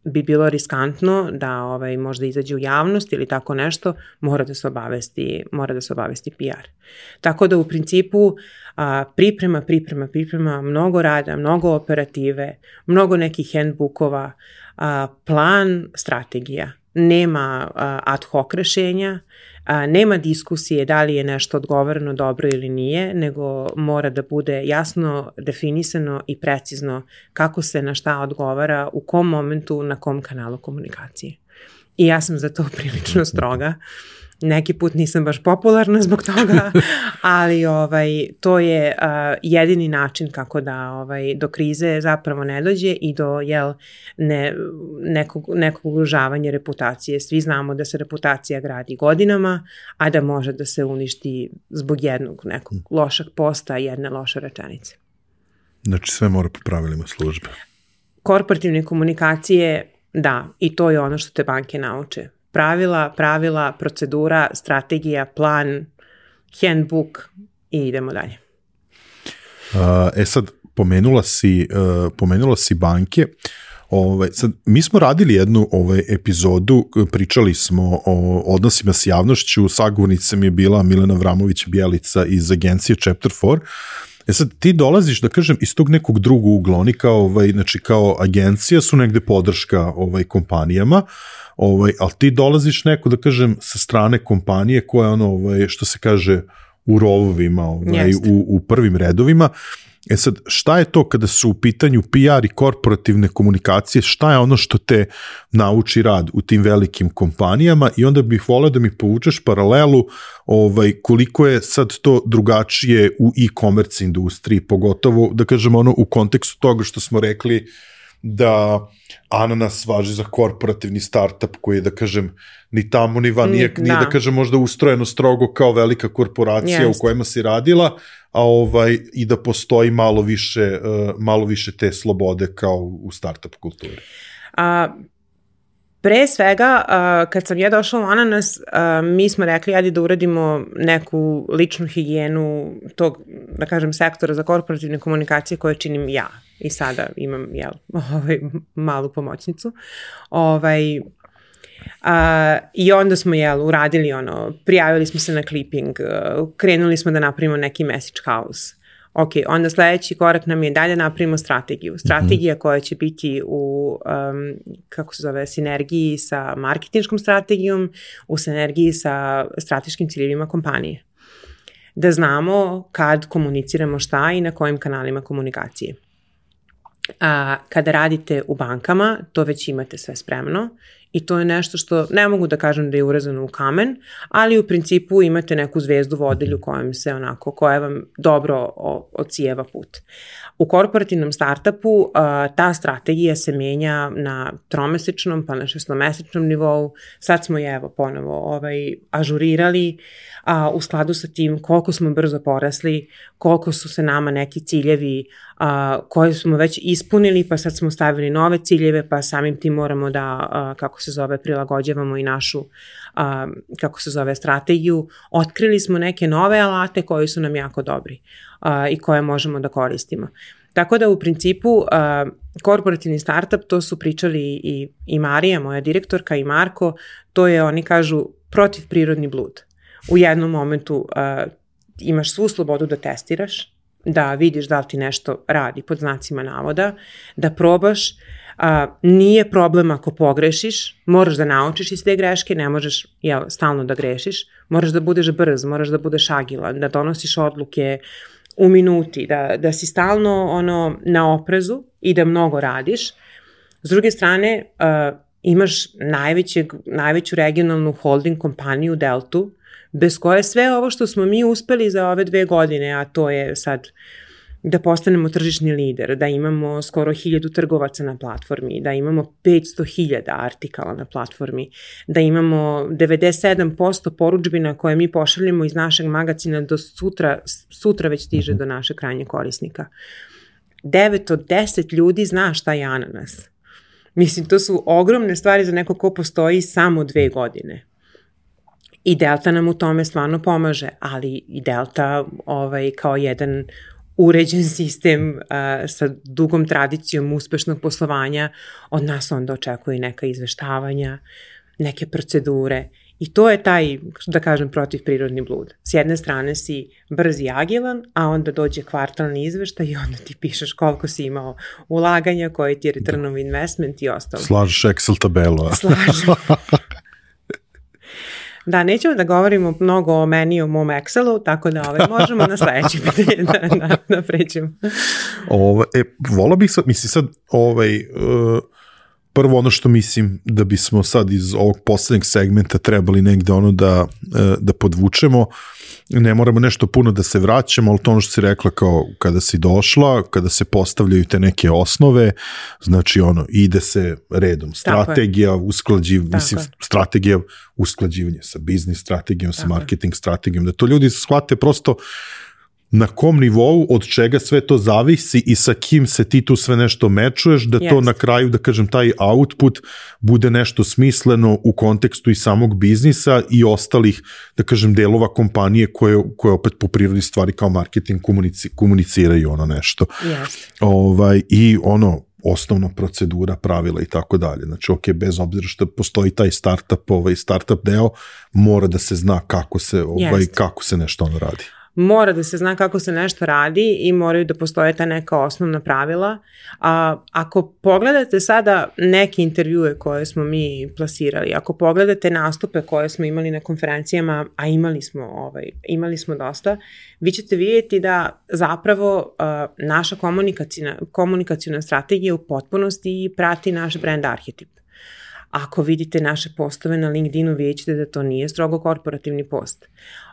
bi bilo riskantno da ovaj, možda izađe u javnost ili tako nešto, mora da se obavesti, mora da se obavesti P R. Tako da u principu a, priprema, priprema, priprema, mnogo rada, mnogo operative, mnogo nekih handbookova, a, plan, strategija. Nema a, ad hoc rešenja, a, nema diskusije da li je nešto odgovoreno dobro ili nije, nego mora da bude jasno definisano i precizno kako se na šta odgovara, u kom momentu, na kom kanalu komunikacije. I ja sam za to prilično stroga. Neki put nisam baš popularna zbog toga, ali ovaj, to je uh, jedini način kako da ovaj, do krize zapravo ne dođe i do jel, ne, nekog, nekog ugrožavanja reputacije. Svi znamo da se reputacija gradi godinama, a da može da se uništi zbog jednog nekog lošeg posta i jedne loše rečenice. Znači sve mora po pravilima službe. Korporativne komunikacije Da, i to je ono što te banke nauče. Pravila, pravila, procedura, strategija, plan, handbook i idemo dalje. E sad, pomenula si, pomenula si banke. Ove, sad, mi smo radili jednu ove, epizodu, pričali smo o odnosima s javnošću, sagovornica mi je bila Milena Vramović-Bjelica iz agencije Chapter četiri. E sad, ti dolaziš, da kažem, iz tog nekog drugog ugla, oni kao, ovaj, znači, kao agencija su negde podrška ovaj, kompanijama, ovaj, ali ti dolaziš neko, da kažem, sa strane kompanije koja je ono, ovaj, što se kaže, u rovovima, ovaj, u, u prvim redovima. E sad, šta je to kada su u pitanju P R i korporativne komunikacije, šta je ono što te nauči rad u tim velikim kompanijama i onda bih voleo da mi povučeš paralelu ovaj, koliko je sad to drugačije u e-commerce industriji, pogotovo, da kažem, ono u kontekstu toga što smo rekli da Ananas važi za korporativni startup koji je, da kažem, ni tamo ni van, nije, da. nije da kažem možda ustrojeno strogo kao velika korporacija yes. u kojima si radila, a ovaj, i da postoji malo više, uh, malo više te slobode kao u startup kulturi. A, pre svega, a, kad sam ja došla u Ananas, a, mi smo rekli ajde da uradimo neku ličnu higijenu tog, da kažem, sektora za korporativne komunikacije koje činim ja. I sada imam, jel, ovaj, malu pomoćnicu. Ovaj, a, I onda smo, jel, uradili ono, prijavili smo se na clipping, krenuli smo da napravimo neki message house. Ok, onda sledeći korak nam je dalje napravimo strategiju. Strategija koja će biti u, um, kako se zove, sinergiji sa marketinškom strategijom, u sinergiji sa strateškim ciljevima kompanije. Da znamo kad komuniciramo šta i na kojim kanalima komunikacije. A, kada radite u bankama, to već imate sve spremno i to je nešto što ne mogu da kažem da je urezano u kamen, ali u principu imate neku zvezdu vodilju kojem se onako, koja vam dobro ocijeva put. U korporativnom startupu a, ta strategija se menja na tromesečnom pa na šestomesečnom nivou. Sad smo je evo ponovo ovaj, ažurirali a, u skladu sa tim koliko smo brzo porasli, koliko su se nama neki ciljevi a, koje smo već ispunili, pa sad smo stavili nove ciljeve, pa samim tim moramo da, a, kako se zove, prilagođavamo i našu, a, kako se zove, strategiju. Otkrili smo neke nove alate koji su nam jako dobri a, i koje možemo da koristimo. Tako da u principu a, korporativni startup, to su pričali i, i Marija, moja direktorka, i Marko, to je, oni kažu, protivprirodni blud. U jednom momentu uh, imaš svu slobodu da testiraš, da vidiš da li ti nešto radi pod znacima navoda, da probaš, uh, nije problem ako pogrešiš, moraš da naučiš iz te greške, ne možeš jel, stalno da grešiš, moraš da budeš brz, moraš da budeš agilan, da donosiš odluke u minuti, da, da si stalno ono, na oprezu i da mnogo radiš. S druge strane, uh, imaš najvećeg, najveću regionalnu holding kompaniju Deltu, bez koje sve ovo što smo mi uspeli za ove dve godine, a to je sad da postanemo tržišni lider, da imamo skoro hiljadu trgovaca na platformi, da imamo petsto hiljada artikala na platformi, da imamo devedeset sedam posto porudžbina koje mi pošaljemo iz našeg magazina do sutra, sutra već stiže do našeg krajnjeg korisnika. devet od deset ljudi zna šta je Ananas. Mislim, to su ogromne stvari za neko ko postoji samo dve godine. I Delta nam u tome stvarno pomaže, ali i Delta ovaj, kao jedan uređen sistem uh, sa dugom tradicijom uspešnog poslovanja, od nas onda očekuje neka izveštavanja, neke procedure. I to je taj, da kažem, protivprirodni blud. S jedne strane si brz i agilan, a onda dođe kvartalni izveštaj i onda ti pišeš koliko si imao ulaganja, koji ti je return of investment i ostalo. Slažeš Excel tabelu. Slažem. Da, nećemo da govorimo mnogo o meni i o mom Excelu, tako da ovaj, možemo na sledeći pitanje da, da, da pređemo. Ove, e, vola bih sad, mislim sad, ovaj, uh, prvo ono što mislim da bismo sad iz ovog poslednjeg segmenta trebali negde ono da, uh, da podvučemo, ne moramo nešto puno da se vraćamo, ali to ono što si rekla kao kada si došla, kada se postavljaju te neke osnove, znači ono, ide se redom, strategija, usklađivanje, mislim, strategija usklađivanja sa biznis strategijom, sa marketing strategijom, da to ljudi shvate prosto na kom nivou, od čega sve to zavisi i sa kim se ti tu sve nešto mečuješ, da to yes. na kraju, da kažem, taj output bude nešto smisleno u kontekstu i samog biznisa i ostalih, da kažem, delova kompanije koje, koje opet po prirodi stvari kao marketing komunici, komuniciraju ono nešto. Yes. Ovaj, I ono, osnovna procedura, pravila i tako dalje. Znači, ok, bez obzira što postoji taj startup, ovaj startup deo, mora da se zna kako se, ovaj, yes. kako se nešto ono radi. Mora da se zna kako se nešto radi i moraju da postoje ta neka osnovna pravila. A, ako pogledate sada neke intervjue koje smo mi plasirali, ako pogledate nastupe koje smo imali na konferencijama, a imali smo, ovaj, imali smo dosta, vi ćete vidjeti da zapravo uh, naša komunikacijna, komunikacijna strategija u potpunosti prati naš brand arhetip. Ako vidite naše postove na LinkedInu, vidjet ćete da to nije strogo korporativni post.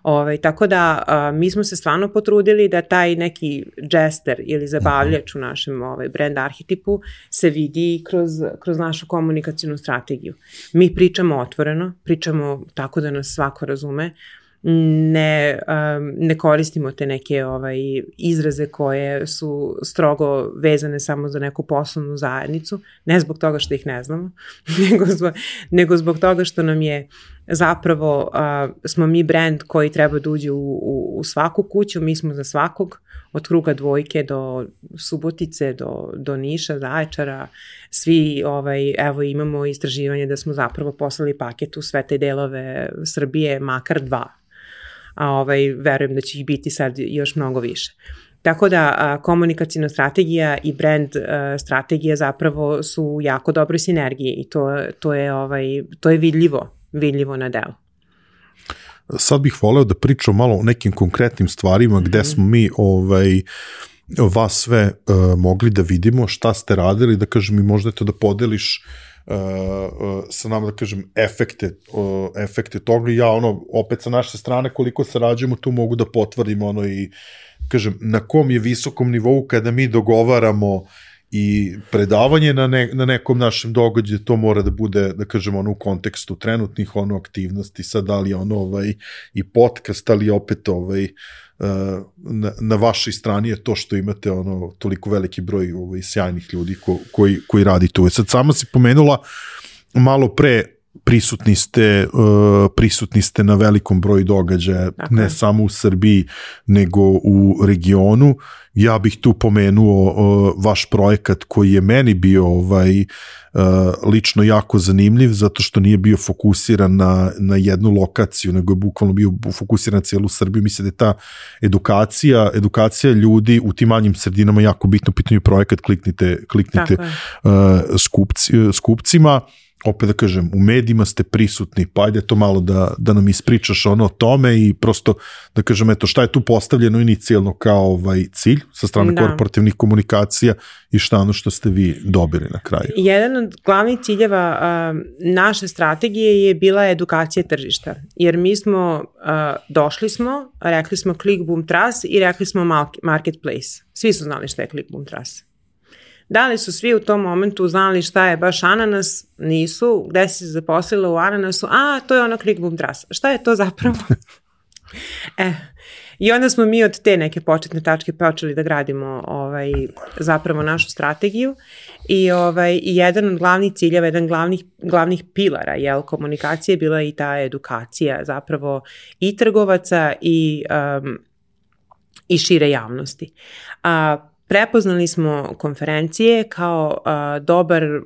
Ove, tako da a, mi smo se stvarno potrudili da taj neki džester ili zabavljač u našem ovaj, brand arhetipu se vidi kroz, kroz našu komunikacijnu strategiju. Mi pričamo otvoreno, pričamo tako da nas svako razume, ne, um, ne koristimo te neke ovaj, izraze koje su strogo vezane samo za neku poslovnu zajednicu, ne zbog toga što ih ne znamo, nego zbog, nego zbog toga što nam je zapravo, uh, smo mi brand koji treba da uđe u, u, u svaku kuću, mi smo za svakog, od Kruga dvojke do Subotice, do, do Niša, Zaječara, svi, ovaj, evo imamo istraživanje da smo zapravo poslali paket u sve te delove Srbije, makar dva. A ovaj, verujem da će ih biti sad još mnogo više. Tako da a, komunikacijna strategija i brand a, strategija zapravo su u jako dobroj sinergiji i to, to, je, ovaj, to je vidljivo, vidljivo na delu. Sad bih voleo da pričam malo o nekim konkretnim stvarima gde smo mi ovaj, vas sve uh, mogli da vidimo, šta ste radili, da kažem i možda to da podeliš Uh, uh, sa nama, da kažem, efekte, uh, efekte toga. Ja, ono, opet sa naše strane, koliko sarađujemo, tu mogu da potvrdim, ono, i, kažem, na kom je visokom nivou kada mi dogovaramo i predavanje na, ne, na nekom našem događaju, to mora da bude, da kažem, ono, u kontekstu trenutnih, ono, aktivnosti, sad, da li je ono, ovaj, i podcast, ali opet, ovaj, Na, na vašoj strani je to što imate ono toliko veliki broj ovaj, sjajnih ljudi ko, koji, koji radi tu. Sad sama si pomenula malo pre prisutni ste, uh, prisutni ste na velikom broju događaja, okay. ne samo u Srbiji, nego u regionu. Ja bih tu pomenuo uh, vaš projekat koji je meni bio ovaj, uh, lično jako zanimljiv, zato što nije bio fokusiran na, na jednu lokaciju, nego je bukvalno bio fokusiran na cijelu Srbiju. Mislim da je ta edukacija, edukacija ljudi u tim manjim sredinama jako bitno, pitanju projekat, kliknite, kliknite uh, skupci, skupcima. Opet da kažem, u medijima ste prisutni, pa ajde to malo da, da nam ispričaš ono o tome i prosto da kažem, eto, šta je tu postavljeno inicijalno kao ovaj cilj sa strane da. korporativnih komunikacija i šta ono što ste vi dobili na kraju. Jedan od glavnih ciljeva uh, naše strategije je bila edukacija tržišta, jer mi smo, uh, došli smo, rekli smo Click Boom Trust i rekli smo Marketplace. Svi su znali šta je Click Boom Trust. Da li su svi u tom momentu znali šta je baš ananas? Nisu. Gde si se zaposlila u ananasu? A, to je ono Click Boom Trust. Šta je to zapravo? e, I onda smo mi od te neke početne tačke počeli da gradimo ovaj, zapravo našu strategiju i, ovaj, i jedan od glavnih ciljeva, jedan glavnih, glavnih pilara jel, komunikacije je bila i ta edukacija zapravo i trgovaca i, um, i šire javnosti. A, Prepoznali smo konferencije kao uh, dobar, uh,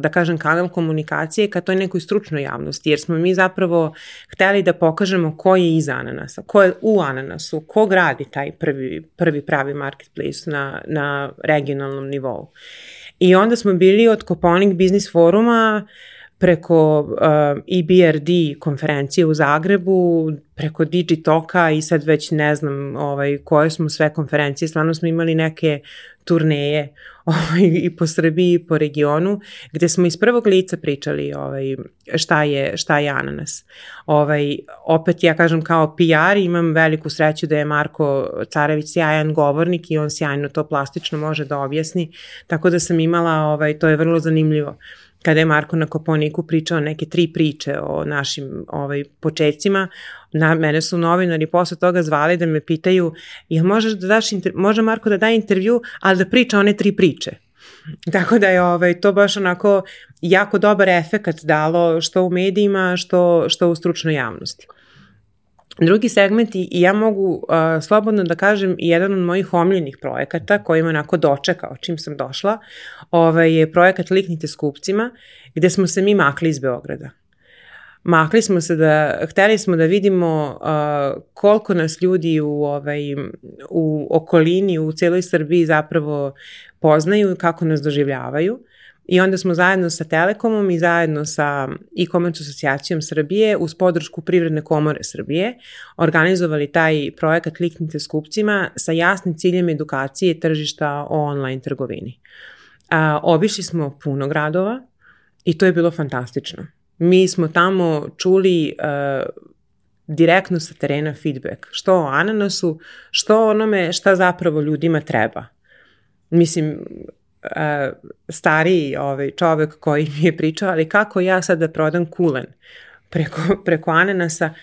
da kažem, kanal komunikacije ka toj nekoj stručnoj javnosti, jer smo mi zapravo hteli da pokažemo ko je iza ananasa, ko je u ananasu, ko gradi taj prvi, prvi pravi marketplace na, na regionalnom nivou. I onda smo bili od Koponik Biznis foruma preko uh, E B R D konferencije u Zagrebu, preko Digitoka i sad već ne znam ovaj, koje smo sve konferencije, stvarno smo imali neke turneje ovaj, i po Srbiji i po regionu, gde smo iz prvog lica pričali ovaj, šta, je, šta je ananas. Ovaj, opet ja kažem kao P R imam veliku sreću da je Marko Carević sjajan govornik i on sjajno to plastično može da objasni, tako da sam imala, ovaj, to je vrlo zanimljivo. Kada je Marko na Koponiku pričao neke tri priče o našim ovaj, početcima, Na, mene su novinari posle toga zvali da me pitaju, jel možeš da daš, inter, može Marko da da intervju, ali da priča one tri priče. Tako da je ovaj, to baš onako jako dobar efekat dalo što u medijima, što, što u stručnoj javnosti. Drugi segment, i ja mogu uh, slobodno da kažem, jedan od mojih omiljenih projekata koji me onako dočekao čim sam došla, ovaj, je projekat Liknite s kupcima, gde smo se mi makli iz Beograda. Makli smo se da, hteli smo da vidimo uh, koliko nas ljudi u, ovaj, u okolini, u celoj Srbiji zapravo poznaju i kako nas doživljavaju. I onda smo zajedno sa Telekomom i zajedno sa e-commerce asocijacijom Srbije uz podršku Privredne komore Srbije organizovali taj projekat Liknite s kupcima sa jasnim ciljem edukacije tržišta o online trgovini. A, obišli smo puno gradova i to je bilo fantastično. Mi smo tamo čuli uh, direktno sa terena feedback, što o ananasu, što onome šta zapravo ljudima treba. Mislim, Uh, stariji ovaj, čovek koji mi je pričao, ali kako ja sad da prodam kulen preko, preko ananasa,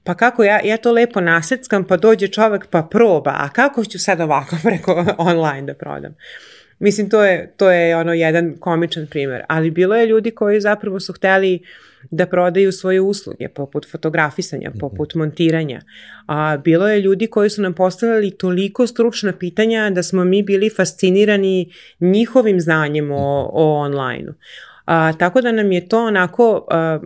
pa kako ja, ja to lepo naseckam, pa dođe čovek pa proba, a kako ću sad ovako preko online da prodam? Mislim, to je, to je ono jedan komičan primer, ali bilo je ljudi koji zapravo su hteli da prodaju svoje usluge, poput fotografisanja, poput montiranja. A, bilo je ljudi koji su nam postavljali toliko stručna pitanja da smo mi bili fascinirani njihovim znanjem o, o online-u. A, tako da nam je to onako... A,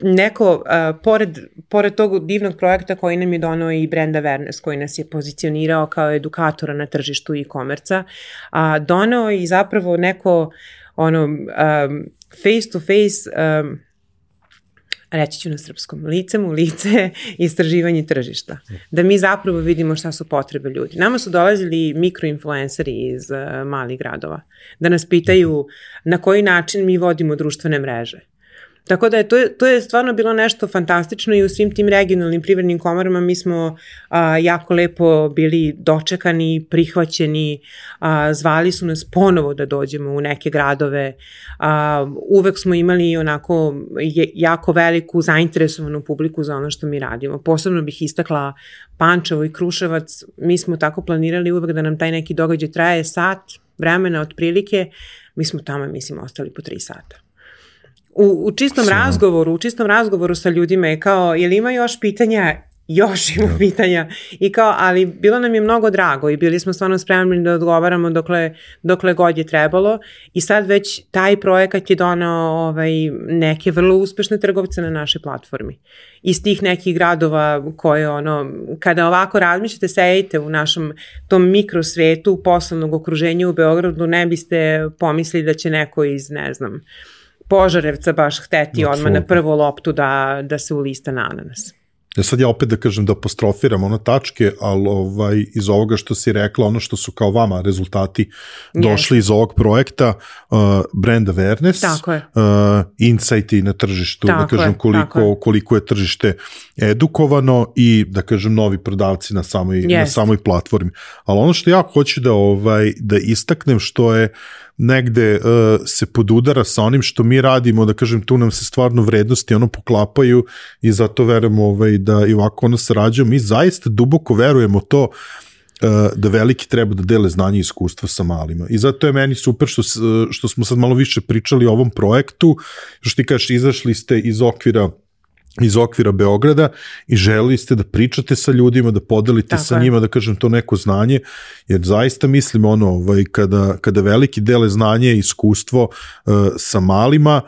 neko, uh, pored, pored tog divnog projekta koji nam je donao i brand awareness, koji nas je pozicionirao kao edukatora na tržištu e-komerca, uh, donao i zapravo neko ono, um, face to face, um, reći ću na srpskom, licem u lice istraživanje tržišta. Da mi zapravo vidimo šta su potrebe ljudi. Nama su dolazili mikroinfluenceri iz uh, malih gradova, da nas pitaju na koji način mi vodimo društvene mreže. Tako da je to, to je stvarno bilo nešto fantastično i u svim tim regionalnim privrednim komorama mi smo a, jako lepo bili dočekani, prihvaćeni, a, zvali su nas ponovo da dođemo u neke gradove, a, uvek smo imali onako je, jako veliku zainteresovanu publiku za ono što mi radimo. Posebno bih istakla Pančevo i Kruševac, mi smo tako planirali uvek da nam taj neki događaj traje sat vremena otprilike, mi smo tamo, mislim, ostali po tri sata. U, u čistom Sino. razgovoru, u čistom razgovoru sa ljudima je kao, jel ima još pitanja? Još ima no. pitanja. I kao, ali bilo nam je mnogo drago i bili smo stvarno spremni da odgovaramo dokle, dokle god je trebalo i sad već taj projekat je donao ovaj, neke vrlo uspešne trgovce na našoj platformi. Iz tih nekih gradova koje ono, kada ovako razmišljate, sejite u našem tom mikrosvetu poslovnog okruženja u Beogradu, ne biste pomislili da će neko iz, ne znam, Požarevca baš hteti no, odmah na prvu loptu da, da se ulista na ananas. Ja sad ja opet da kažem da apostrofiram ono tačke, ali ovaj, iz ovoga što si rekla, ono što su kao vama rezultati došli yes. iz ovog projekta, uh, brand awareness, tako je. Uh, insighti na tržištu, tako da kažem koliko je. koliko je tržište edukovano i da kažem novi prodavci na samoj, yes. na samoj platformi. Ali ono što ja hoću da, ovaj, da istaknem što je negde uh, se podudara sa onim što mi radimo, da kažem, tu nam se stvarno vrednosti ono poklapaju i zato verujemo ovaj, da i ovako ono sarađujemo. Mi zaista duboko verujemo to uh, da veliki treba da dele znanje i iskustva sa malima. I zato je meni super što, što smo sad malo više pričali o ovom projektu, što ti kažeš, izašli ste iz okvira iz okvira Beograda i želeli ste da pričate sa ljudima, da podelite Tako sa je. njima, da kažem, to neko znanje, jer zaista mislim ono, ovaj, kada, kada veliki dele znanje i iskustvo uh, sa malima,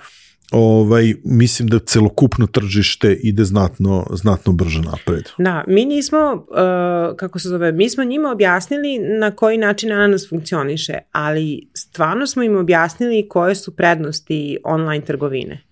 ovaj, mislim da celokupno tržište ide znatno, znatno brže napred. Da, mi nismo, uh, kako se zove, mi smo njima objasnili na koji način ananas funkcioniše, ali stvarno smo im objasnili koje su prednosti online trgovine.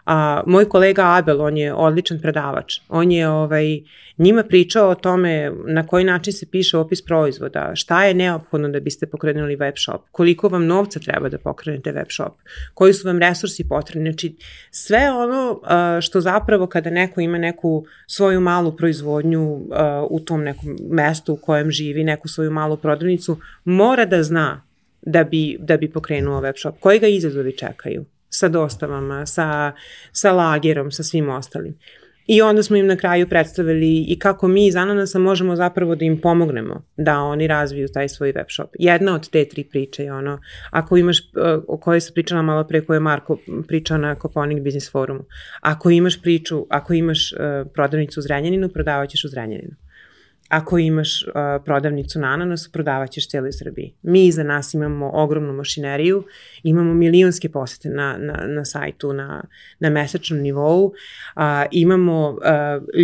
A, moj kolega Abel, on je odličan predavač, on je ovaj, njima pričao o tome na koji način se piše opis proizvoda, šta je neophodno da biste pokrenuli web shop, koliko vam novca treba da pokrenete web shop, koji su vam resursi potrebni, znači sve ono a, što zapravo kada neko ima neku svoju malu proizvodnju a, u tom nekom mestu u kojem živi, neku svoju malu prodavnicu, mora da zna da bi, da bi pokrenuo web shop, koji ga izazovi čekaju sa dostavama, sa, sa lagerom, sa svim ostalim. I onda smo im na kraju predstavili i kako mi iz Ananasa možemo zapravo da im pomognemo da oni razviju taj svoj web shop. Jedna od te tri priče je ono, ako imaš, o kojoj se pričala malo pre, koje je Marko pričao na Koponik Business Forumu, ako imaš priču, ako imaš uh, prodavnicu u Zrenjaninu, prodavaćeš u Zrenjaninu. Ako imaš uh, prodavnicu na Ananasu, prodavaćeš cijeloj Srbiji. Mi iza nas imamo ogromnu mašineriju, imamo milionske posete na, na, na sajtu, na, na mesečnom nivou, uh, imamo uh,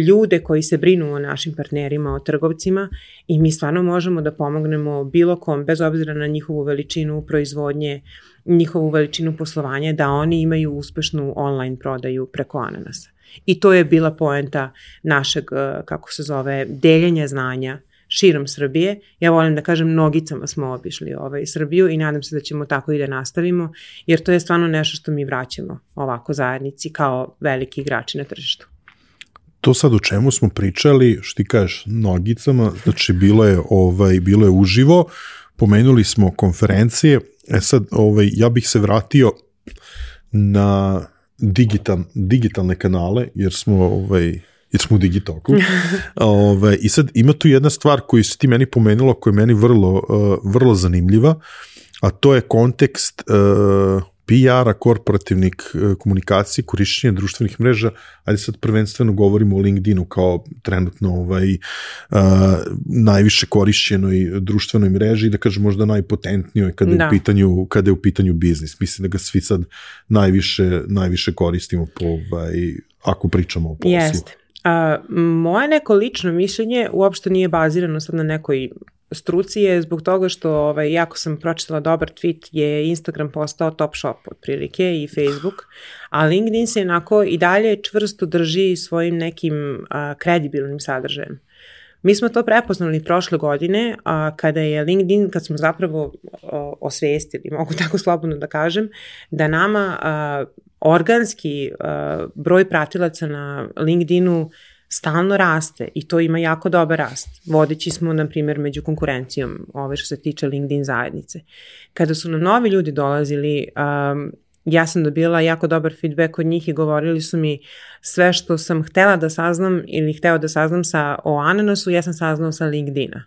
ljude koji se brinu o našim partnerima, o trgovcima i mi stvarno možemo da pomognemo bilo kom, bez obzira na njihovu veličinu proizvodnje, njihovu veličinu poslovanja, da oni imaju uspešnu online prodaju preko Ananasa. I to je bila poenta našeg, kako se zove, deljenja znanja širom Srbije. Ja volim da kažem, nogicama smo obišli ovaj Srbiju i nadam se da ćemo tako i da nastavimo, jer to je stvarno nešto što mi vraćamo ovako zajednici kao veliki igrači na tržištu. To sad o čemu smo pričali, što ti kažeš, nogicama, znači bilo je, ovaj, bilo je uživo, pomenuli smo konferencije, e sad ovaj, ja bih se vratio na digital, digitalne kanale, jer smo, ovaj, jer smo u Digitoku. ovaj, I sad ima tu jedna stvar koju si ti meni pomenula, koja je meni vrlo, uh, vrlo zanimljiva, a to je kontekst uh, P R-a, korporativnih uh, komunikacije, korišćenja društvenih mreža, ali sad prvenstveno govorimo o LinkedInu kao trenutno ovaj, uh, najviše korišćenoj društvenoj mreži i da kažem možda najpotentnijoj kada, da. je u pitanju, kada je u pitanju biznis. Mislim da ga svi sad najviše, najviše koristimo po, ovaj, ako pričamo o poslu. Jeste. Uh, moje neko lično mišljenje uopšte nije bazirano sad na nekoj struci je zbog toga što ovaj, jako sam pročitala dobar tweet je Instagram postao top shop otprilike i Facebook, a LinkedIn se jednako i dalje čvrsto drži svojim nekim a, kredibilnim sadržajem. Mi smo to prepoznali prošle godine a, kada je LinkedIn, kad smo zapravo a, osvestili, mogu tako slobodno da kažem, da nama a, organski a, broj pratilaca na LinkedInu stalno raste i to ima jako dobar rast. Vodeći smo, na primjer, među konkurencijom, ove što se tiče LinkedIn zajednice. Kada su nam novi ljudi dolazili, um, ja sam dobila jako dobar feedback od njih i govorili su mi sve što sam htela da saznam ili hteo da saznam sa, o Ananasu, ja sam saznao sa LinkedIna.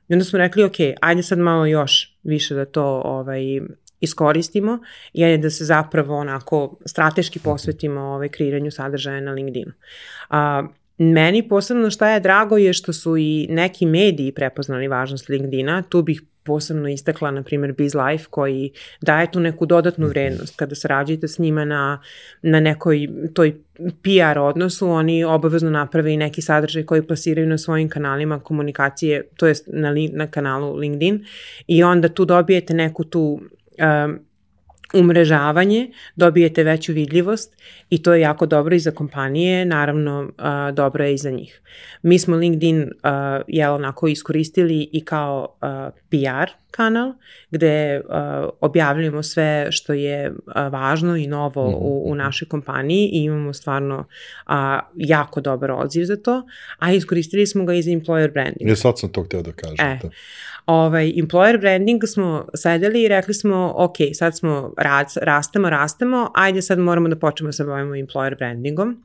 I onda smo rekli, ok, ajde sad malo još više da to ovaj, iskoristimo i ajde da se zapravo onako strateški posvetimo ovaj, kreiranju sadržaja na LinkedInu. Uh, Meni posebno šta je drago je što su i neki mediji prepoznali važnost LinkedIna. Tu bih posebno istakla, na primjer, BizLife koji daje tu neku dodatnu vrednost. Kada sarađujete s njima na, na nekoj toj P R odnosu, oni obavezno naprave i neki sadržaj koji plasiraju na svojim kanalima komunikacije, to jest na, na kanalu LinkedIn i onda tu dobijete neku tu um, umrežavanje, dobijete veću vidljivost i to je jako dobro i za kompanije, naravno uh, dobro je i za njih. Mi smo LinkedIn uh, jel onako iskoristili i kao uh, P R kanal gde uh, objavljujemo sve što je uh, važno i novo u, u našoj kompaniji i imamo stvarno uh, jako dobar odziv za to, a iskoristili smo ga i za employer branding. Ja sad sam to hteo da kažem. E. Ovaj, employer branding smo sedeli i rekli smo, ok, sad smo rad, rastemo, rastemo, ajde sad moramo da počnemo da se bavimo employer brandingom.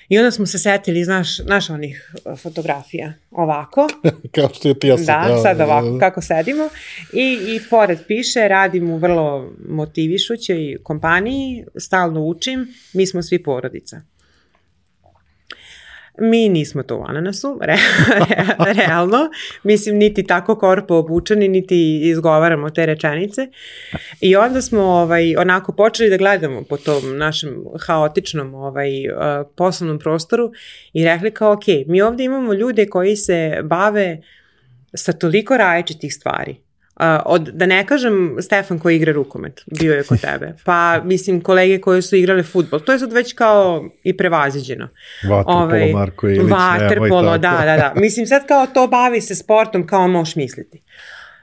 I onda smo se setili, znaš, znaš onih fotografija ovako. Kao što je ti ja sam. Da, sad ovako, kako sedimo. I, i pored piše, radim u vrlo motivišućoj kompaniji, stalno učim, mi smo svi porodica. Mi nismo to u Ananasu, re, re, realno, mislim niti tako korpo obučeni, niti izgovaramo te rečenice i onda smo ovaj, onako počeli da gledamo po tom našem haotičnom ovaj, uh, poslovnom prostoru i rekli kao ok, mi ovdje imamo ljude koji se bave sa toliko različitih stvari. Uh, od, da ne kažem Stefan koji igra rukomet, bio je kod tebe, pa mislim kolege koji su igrale fudbal, to je sad već kao i prevaziđeno. Vaterpolo, ovaj, Marko Ilić. Vaterpolo, da, da, da. Mislim sad kao to bavi se sportom kao možeš misliti.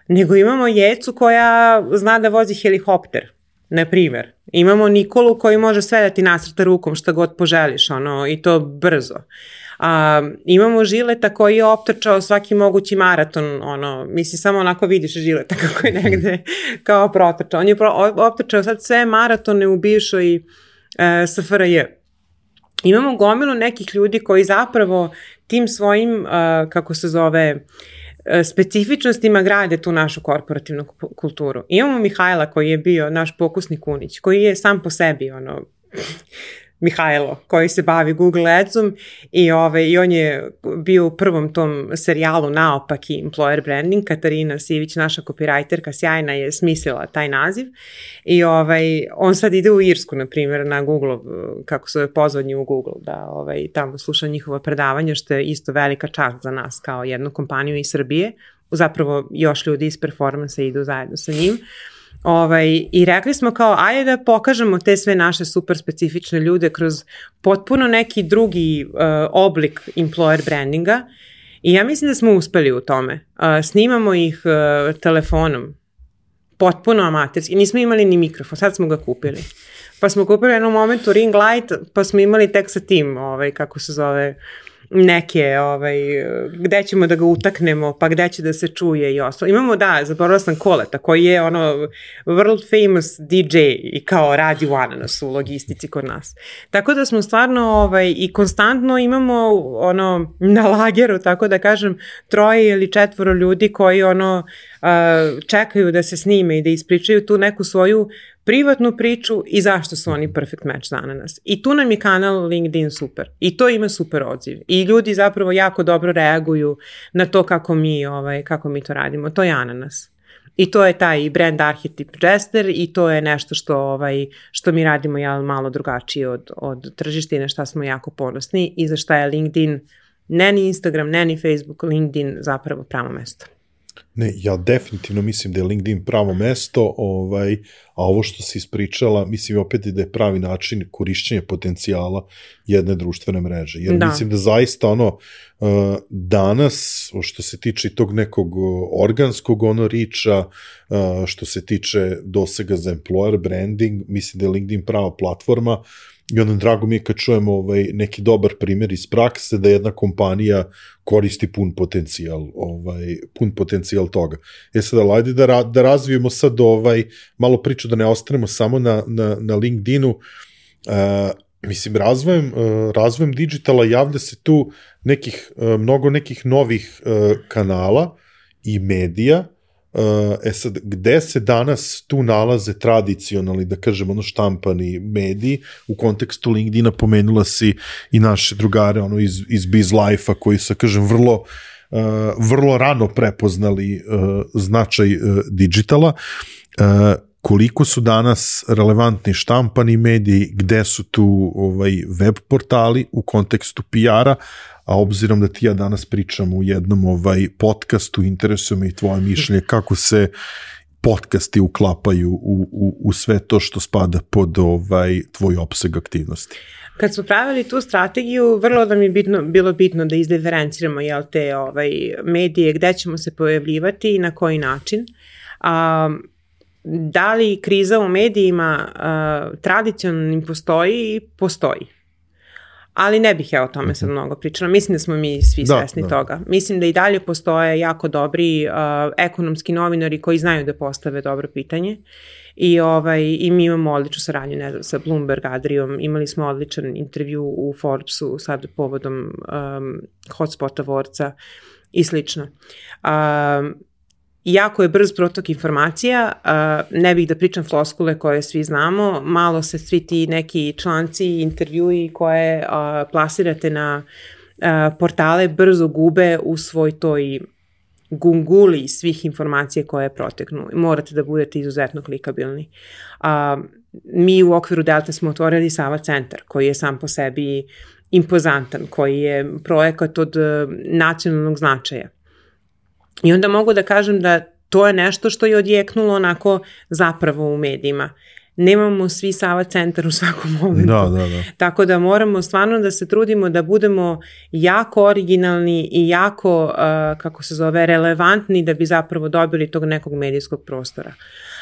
Nego imamo Jecu koja zna da vozi helikopter, na primjer. Imamo Nikolu koji može sve da ti nacrta rukom šta god poželiš, ono, i to brzo. A, imamo Žileta koji je optrčao svaki mogući maraton, ono, misli samo onako vidiš Žileta kako je negde kao protrčao. On je pro, optrčao sad sve maratone u bivšoj e, S F R J. imamo gomilu nekih ljudi koji zapravo tim svojim, uh, kako se zove, specifičnostima grade tu našu korporativnu kulturu. Imamo Mihajla koji je bio naš pokusni kunić, koji je sam po sebi ono, Mihajlo, koji se bavi Google Adsom i, ove, i on je bio u prvom tom serijalu Naopaki employer branding. Katarina Sivić, naša copywriterka, sjajna, je smislila taj naziv i ovaj, on sad ide u Irsku, na primjer, na Google, kako se pozvanje u Google, da ovaj, tamo sluša njihova predavanja, što je isto velika čast za nas kao jednu kompaniju iz Srbije. Zapravo još ljudi iz performansa idu zajedno sa njim. Ovaj, i rekli smo kao, ajde da pokažemo te sve naše super specifične ljude kroz potpuno neki drugi uh, oblik employer brandinga i ja mislim da smo uspeli u tome. Uh, snimamo ih uh, telefonom, potpuno amaterski, nismo imali ni mikrofon, sad smo ga kupili. Pa smo kupili u jednom momentu ring light, pa smo imali tek sa tim, ovaj, kako se zove, neke, ovaj, gde ćemo da ga utaknemo, pa gde će da se čuje i ostalo. Imamo, da, zaboravila sam Koleta, koji je ono world famous D J i kao radi u Ananasu u logistici kod nas. Tako da smo stvarno ovaj, i konstantno imamo ono na lageru, tako da kažem, troje ili četvoro ljudi koji ono uh, čekaju da se snime i da ispričaju tu neku svoju privatnu priču i zašto su oni perfect match za Ananas. I tu nam je kanal LinkedIn super. I to ima super odziv. I ljudi zapravo jako dobro reaguju na to kako mi, ovaj, kako mi to radimo. To je Ananas. I to je taj brand arhetip Jester i to je nešto što, ovaj, što mi radimo jel, malo drugačije od, od tržišta i na šta smo jako ponosni i za šta je LinkedIn, ne ni Instagram, ne ni Facebook, LinkedIn zapravo pravo mesto. Ne, ja definitivno mislim da je LinkedIn pravo mesto, ovaj, a ovo što si ispričala, mislim opet da je pravi način korišćenja potencijala jedne društvene mreže. Jer da. Mislim da zaista ono, danas, što se tiče tog nekog organskog ono riča, što se tiče dosega za employer branding, mislim da je LinkedIn prava platforma. I onda drago mi je kad čujemo ovaj, neki dobar primjer iz prakse da jedna kompanija koristi pun potencijal, ovaj, pun potencijal toga. E sad, ajde da, ra, da razvijemo sad ovaj, malo priču, da ne ostanemo samo na, na, na LinkedInu. Uh, mislim, razvojem, uh, razvojem digitala javlja se tu nekih, uh, mnogo nekih novih uh, kanala i medija. E sad, gde se danas tu nalaze tradicionalni, da kažem, ono štampani mediji, u kontekstu LinkedIna pomenula si i naše drugare ono iz, iz BizLife-a koji su, kažem, vrlo, uh, vrlo rano prepoznali uh, značaj uh, digitala. Uh, koliko su danas relevantni štampani mediji, gde su tu ovaj, web portali u kontekstu P R-a, a obzirom da ti ja danas pričam u jednom ovaj podcastu, interesuje me i tvoje mišljenje kako se podcasti uklapaju u, u, u sve to što spada pod ovaj tvoj opseg aktivnosti. Kad smo pravili tu strategiju, vrlo da mi je bitno, bilo bitno da izdiferenciramo jel, te ovaj, medije, gde ćemo se pojavljivati i na koji način. A, da li kriza u medijima a, tradicionalnim postoji? Postoji. Ali ne bih ja o tome sad mnogo pričala. Mislim da smo mi svi da, svesni da. toga. Mislim da i dalje postoje jako dobri uh, ekonomski novinari koji znaju da postave dobro pitanje. I, ovaj, i mi imamo odličnu saradnju, ne znam, sa Bloomberg Adrijom. Imali smo odličan intervju u Forbesu sad povodom um, Hotspot Awardsa i slično. Um, Jako je brz protok informacija, uh, ne bih da pričam floskule koje svi znamo, malo se svi ti neki članci i intervjui koje uh, plasirate na uh, portale brzo gube u svoj toj gunguli svih informacija koje proteknu. Morate da budete izuzetno klikabilni. Uh, mi u okviru Delta smo otvorili Sava centar koji je sam po sebi impozantan, koji je projekat od uh, nacionalnog značaja. I onda mogu da kažem da to je nešto što je odjeknulo onako zapravo u medijima. Nemamo svi Sava centar u svakom momentu. Da, da, da. Tako da moramo stvarno da se trudimo da budemo jako originalni i jako, uh, kako se zove, relevantni da bi zapravo dobili tog nekog medijskog prostora.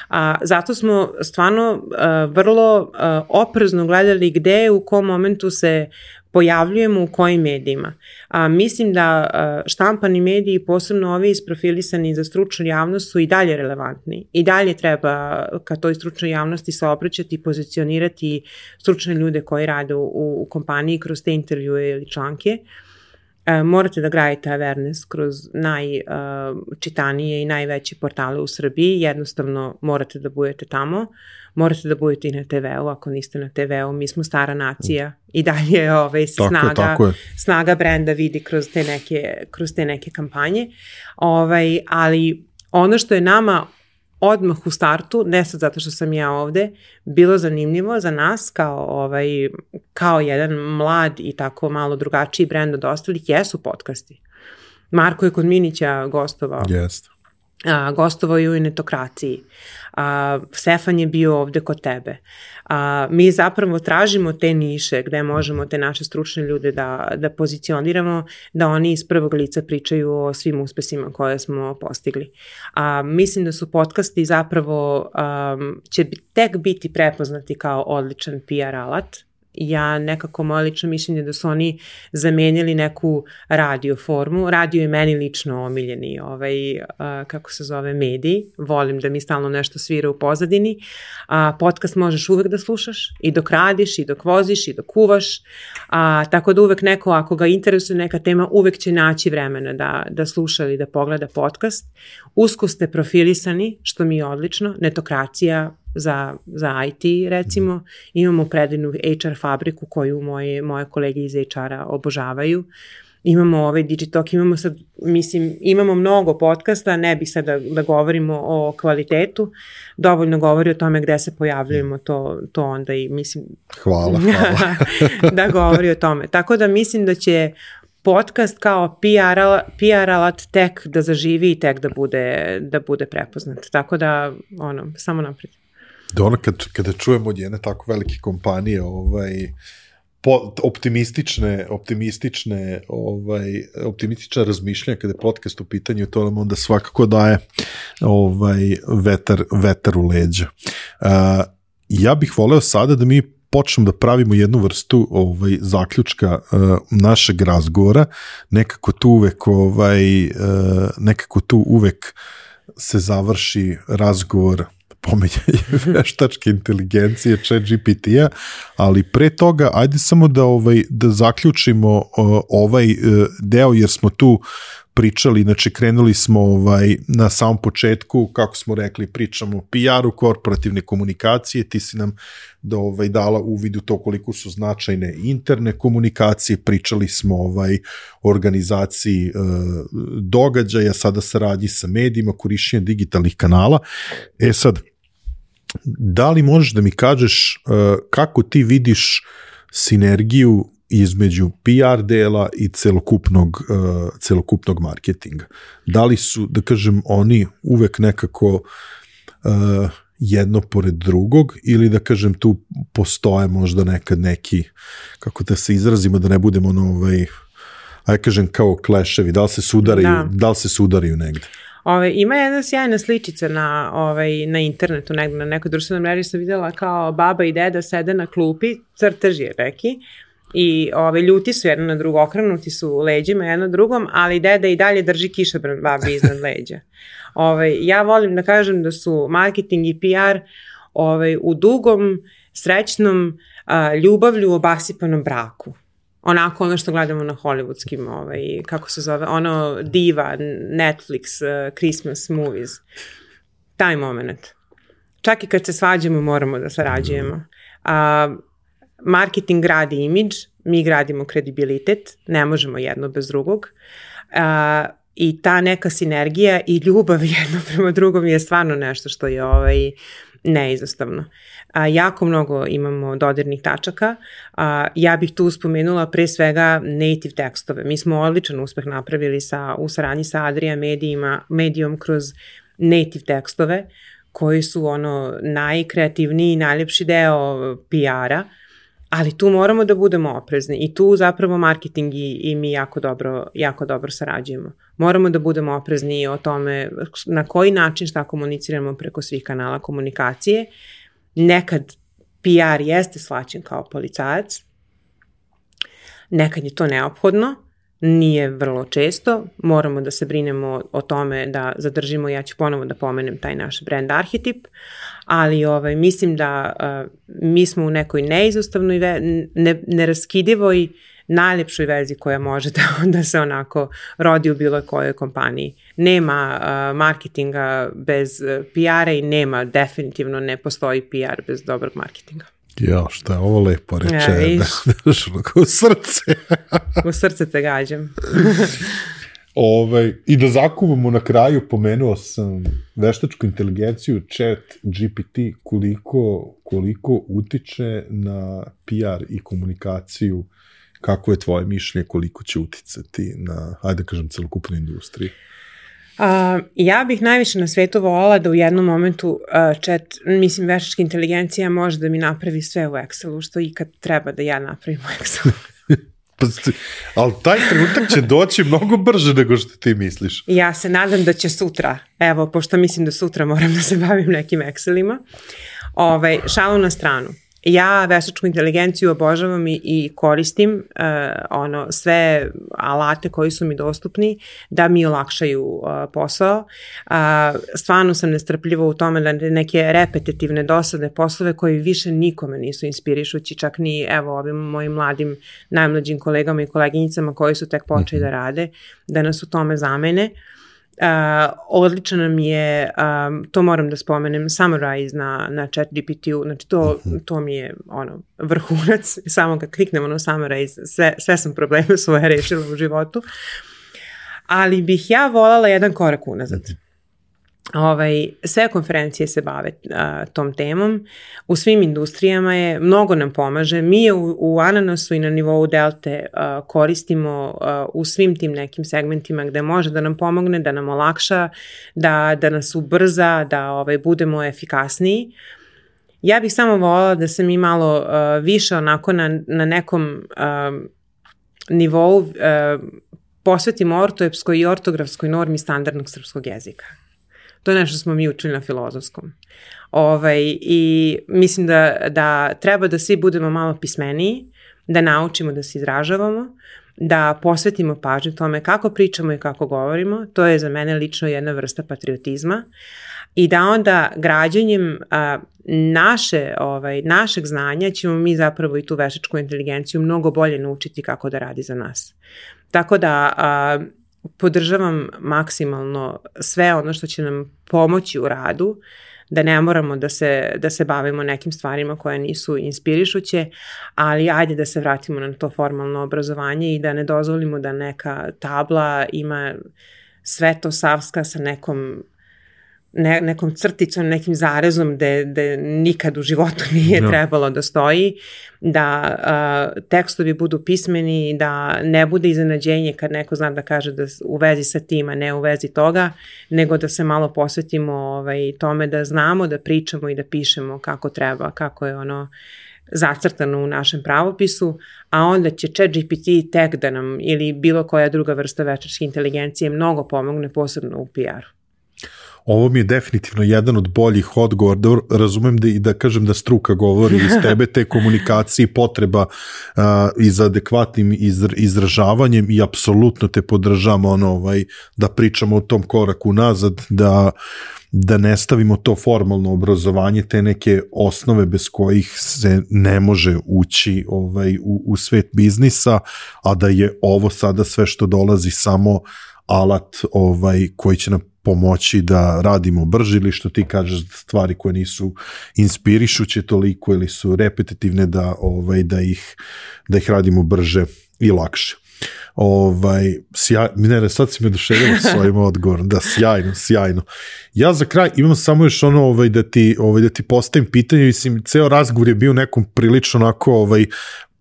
A, zato smo stvarno uh, vrlo uh, oprezno gledali gde u kom momentu se pojavljujemo u kojim medijima. A, mislim da a, štampani mediji, posebno ovi isprofilisani za stručnu javnost, su i dalje relevantni. I dalje treba ka toj stručnoj javnosti se obraćati i pozicionirati stručne ljude koji rade u, u kompaniji kroz te intervjue ili članke. E, morate da gradite awareness kroz najčitanije i najveće portale u Srbiji, jednostavno morate da budete tamo, morate da budete i na te veu, ako niste na te veu, mi smo stara nacija i dalje ovaj, se tako snaga, je, tako je. snaga brenda vidi kroz te neke, kroz te neke kampanje, ovaj, ali ono što je nama odmah u startu, ne sad zato što sam ja ovde, bilo zanimljivo za nas kao, ovaj, kao jedan mlad i tako malo drugačiji brend od ostalih, jesu podcasti. Marko je kod Minića gostovao. Jeste. A, gostovao je u Netokraciji. A, Stefan je bio ovde kod tebe. A, mi zapravo tražimo te niše gde možemo te naše stručne ljude da, da pozicioniramo, da oni iz prvog lica pričaju o svim uspesima koje smo postigli. A, mislim da su podcasti zapravo um, će tek biti prepoznati kao odličan P R alat. Ja nekako moje lično mišljenje da su oni zamenili neku radio formu. Radio je meni lično omiljeni ovaj, uh, kako se zove, medij. Volim da mi stalno nešto svira u pozadini. Uh, podcast možeš uvek da slušaš i dok radiš, i dok voziš, i dok kuvaš. Uh, tako da uvek neko, ako ga interesuje neka tema, uvek će naći vremena da, da sluša ili da pogleda podcast. Usko ste profilisani, što mi je odlično. Netokracija za, za I T recimo, imamo predivnu H R fabriku koju moje, moje kolege iz H R-a obožavaju, imamo ovaj Digitalk, imamo sad, mislim, imamo mnogo podcasta, ne bih sad da, da govorimo o kvalitetu, dovoljno govori o tome gde se pojavljujemo, to, to onda i mislim... Hvala, hvala. da govori o tome. Tako da mislim da će podcast kao P R, P R alat tek da zaživi i tek da bude, da bude prepoznat. Tako da, ono, samo naprijed. Da ono kad, kada čujemo od jedne tako velike kompanije ovaj, po, optimistične, optimistične, ovaj, optimistične razmišljanja kada je podcast u pitanju, to nam onda svakako daje ovaj, vetar, vetar u leđa. Uh, ja bih voleo sada da mi počnemo da pravimo jednu vrstu ovaj, zaključka uh, našeg razgovora, nekako tu uvek ovaj, uh, nekako tu uvek se završi razgovor pomenjanje veštačke inteligencije, chat G P T-a, ali pre toga, ajde samo da, ovaj, da zaključimo uh, ovaj uh, deo, jer smo tu pričali, znači krenuli smo ovaj, na samom početku, kako smo rekli, pričamo o P R-u, korporativne komunikacije, ti si nam da, ovaj, dala uvid u to koliko su značajne interne komunikacije, pričali smo ovaj, o organizaciji e, događaja, sada saradnji sa medijima, korišćenje digitalnih kanala. E sad, da li možeš da mi kažeš e, kako ti vidiš sinergiju između P R dela i celokupnog, uh, celokupnog marketinga? Da li su, da kažem, oni uvek nekako uh, jedno pored drugog ili da kažem tu postoje možda nekad neki, kako da se izrazimo, da ne budemo ono, ovaj, aj kažem kao kleševi, da li se sudaraju, da. da li se sudaraju negde? Ove, ima jedna sjajna sličica na, ovaj, na internetu, negde, na nekoj društvenoj mreži sam videla kao baba i deda sede na klupi, crtež je neki, i ove, ljuti su jedno na drugo, okrenuti su leđima jedno drugom, ali deda i dalje drži kišobran babi iznad leđa. Ove, ja volim da kažem da su marketing i P R ove, u dugom, srećnom, a, ljubavlju obasipanom braku. Onako ono što gledamo na hollywoodskim, ovaj, kako se zove, ono diva, Netflix, uh, Christmas movies. Taj moment. Čak i kad se svađamo moramo da sarađujemo. A, marketing gradi imidž, mi gradimo kredibilitet, ne možemo jedno bez drugog. A, I ta neka sinergija i ljubav jedno prema drugom je stvarno nešto što je ovaj, neizostavno. A, jako mnogo imamo dodirnih tačaka. A, ja bih tu spomenula pre svega native tekstove. Mi smo odličan uspeh napravili sa, u saradnji sa Adria medijima, medijom kroz native tekstove koji su ono najkreativniji i najljepši deo P R-a, ali tu moramo da budemo oprezni i tu zapravo marketing i, i mi jako dobro, jako dobro sarađujemo. Moramo da budemo oprezni o tome na koji način šta komuniciramo preko svih kanala komunikacije. Nekad P R jeste shvaćen kao policajac, Nekad je to neophodno, nije vrlo često, moramo da se brinemo o tome da zadržimo, ja ću ponovo da pomenem taj naš brand arhetip, ali ovaj, mislim da uh, mi smo u nekoj neizostavnoj, ne, neraskidivoj, najlepšoj vezi koja može da, da se onako rodi u bilo kojoj kompaniji. Nema uh, marketinga bez uh, P R-a i nema, definitivno ne postoji P R bez dobrog marketinga. Ja, šta je ovo lepo reče, ja, da, da, u srce. U srce te gađam. Ove, I da zakuvamo na kraju, pomenuo sam veštačku inteligenciju, chat G P T, koliko, koliko utiče na P R i komunikaciju, kako je tvoje mišljenje, koliko će uticati na, ajde da kažem, celokupnu industriju? Uh, ja bih najviše na svetu volala da u jednom momentu uh, chat, mislim, veštačka inteligencija može da mi napravi sve u Excelu, što ikad treba da ja napravim u Excelu. Pa, ali taj trenutak će doći mnogo brže nego što ti misliš. Ja se nadam da će sutra, evo, pošto mislim da sutra moram da se bavim nekim Excelima, ovaj, šalu na stranu. Ja veštačku inteligenciju obožavam i, i koristim uh, ono, sve alate koji su mi dostupni da mi olakšaju uh, posao. Uh, stvarno sam nestrpljiva u tome da neke repetitivne dosadne poslove koji više nikome nisu inspirišući, čak ni evo ovim mojim mladim, najmlađim kolegama i koleginicama koji su tek počeli da rade, da nas u tome zamene. Uh, odlično nam je, um, to moram da spomenem, Summarize na, na chat G P T-u, znači to, to mi je ono, vrhunac, samo kad kliknemo na Summarize, sve, sve sam probleme svoje rešila u životu, ali bih ja volala jedan korak unazad. Ovaj, sve konferencije se bave a, tom temom, u svim industrijama je, mnogo nam pomaže, mi je u, u Ananasu i na nivou Delte a, koristimo a, u svim tim nekim segmentima gde može da nam pomogne, da nam olakša, da, da nas ubrza, da ovaj, budemo efikasniji. Ja bih samo voljela da se mi malo a, više onako na, na nekom a, nivou a, posvetimo ortoepskoj i ortografskoj normi standardnog srpskog jezika. To je nešto smo mi učili na filozofskom. Ovaj, I mislim da, da treba da svi budemo malo pismeniji, da naučimo da se izražavamo, da posvetimo pažnju tome kako pričamo i kako govorimo. To je za mene lično jedna vrsta patriotizma. I da onda građanjem a, naše, ovaj, našeg znanja ćemo mi zapravo i tu veštačku inteligenciju mnogo bolje naučiti kako da radi za nas. Tako da a, podržavam maksimalno sve ono što će nam pomoći u radu, da ne moramo da se, da se bavimo nekim stvarima koje nisu inspirišuće, ali ajde da se vratimo na to formalno obrazovanje i da ne dozvolimo da neka tabla ima sve to savska sa nekom Ne, nekom crticom, nekim zarezom gde, gde nikad u životu nije no. trebalo da stoji, da uh, tekstovi budu pismeni, da ne bude iznenađenje kad neko zna da kaže da u vezi sa tim, a ne u vezi toga, nego da se malo posvetimo ovaj, tome da znamo, da pričamo i da pišemo kako treba, kako je ono zacrtano u našem pravopisu, a onda će chat G P T tek da nam ili bilo koja druga vrsta veštačke inteligencije mnogo pomogne, posebno u P R-u. Ovo mi je definitivno jedan od boljih odgovora, da razumem da i da kažem da struka govori iz tebe, te komunikacije, potreba uh, i za adekvatnim izra, izražavanjem i apsolutno te podržamo ono, ovaj, da pričamo o tom koraku nazad, da, da ne stavimo to formalno obrazovanje, te neke osnove bez kojih se ne može ući ovaj, u, u svet biznisa, a da je ovo sada sve što dolazi samo alat ovaj, koji će nam pomoći da radimo brže ili što ti kažeš stvari koje nisu inspirišuće toliko ili su repetitivne da ovaj da ih da ih radimo brže i lakše. Ovaj sjaj, ne, sad si me oduševio svojim odgovorom. Da, sjajno, sjajno. Ja za kraj imam samo još ono ovaj da ti ovaj da ti postavim pitanje, mislim ceo razgovor je bio u nekom prilično onako ovaj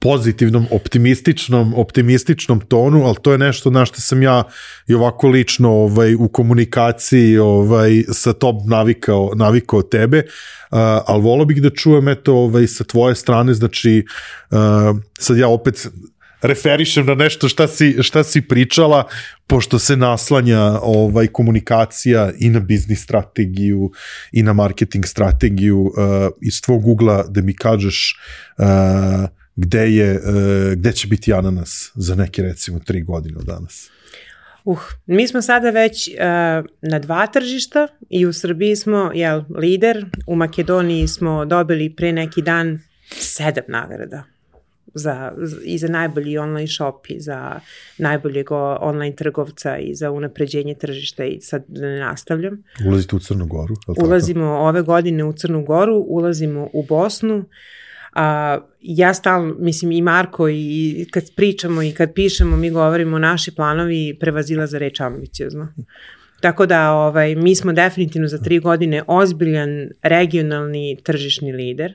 pozitivnom, optimističnom, optimističnom tonu, ali to je nešto na što sam ja i ovako lično ovaj, u komunikaciji ovaj, sa tom navikao, navikao tebe, uh, ali volio bih da čujem eto, ovaj, sa tvoje strane, znači uh, sad ja opet referišem na nešto šta si, šta si pričala, pošto se naslanja ovaj, komunikacija i na biznis strategiju i na marketing strategiju uh, iz tvog ugla da mi kažeš uh, gde, je, gde će biti Ananas za neke recimo tri godine od danas? Uh, mi smo sada već uh, na dva tržišta i u Srbiji smo jel, lider, u Makedoniji smo dobili pre neki dan sedam nagrada za, i za najbolji online shop i za najboljeg online trgovca i za unapređenje tržišta i sad da ne nastavljam. Ulazite u Crnu Goru? Ulazimo ove godine u Crnu Goru, ulazimo u Bosnu. A, ja stalno, mislim i Marko i kad pričamo i kad pišemo mi govorimo naši planovi prevazilaze reč ambiciozno. Tako da ovaj, mi smo definitivno za tri godine ozbiljan regionalni tržišni lider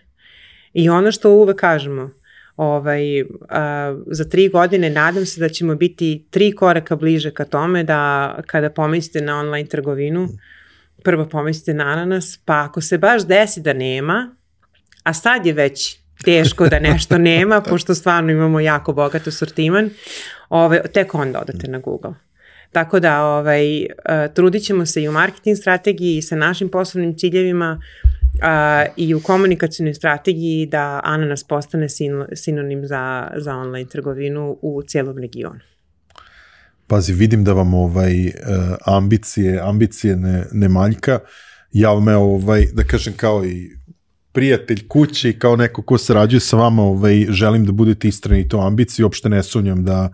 i ono što uvek kažemo, ovaj, a, za tri godine nadam se da ćemo biti tri koraka bliže ka tome da kada pomislite na online trgovinu, prvo pomislite na Ananas, pa ako se baš desi da nema, a sad je već teško da nešto nema, pošto stvarno imamo jako bogat asortiman, ovaj, tek onda odete na Google. Tako da ovaj, uh, trudit ćemo se i u marketing strategiji i sa našim poslovnim ciljevima uh, i u komunikacijnoj strategiji da Ananas postane sin, sinonim za, za online trgovinu u cijelom regionu. Pazi, vidim da vam ovaj, uh, ambicije, ambicije ne, ne manjka. Ja me, ovaj, da kažem, kao i prijatelj kući, kao neko ko sarađuje sa vama, ovaj, želim da budete istrajni i to ambiciji, uopšte ne sumnjam da,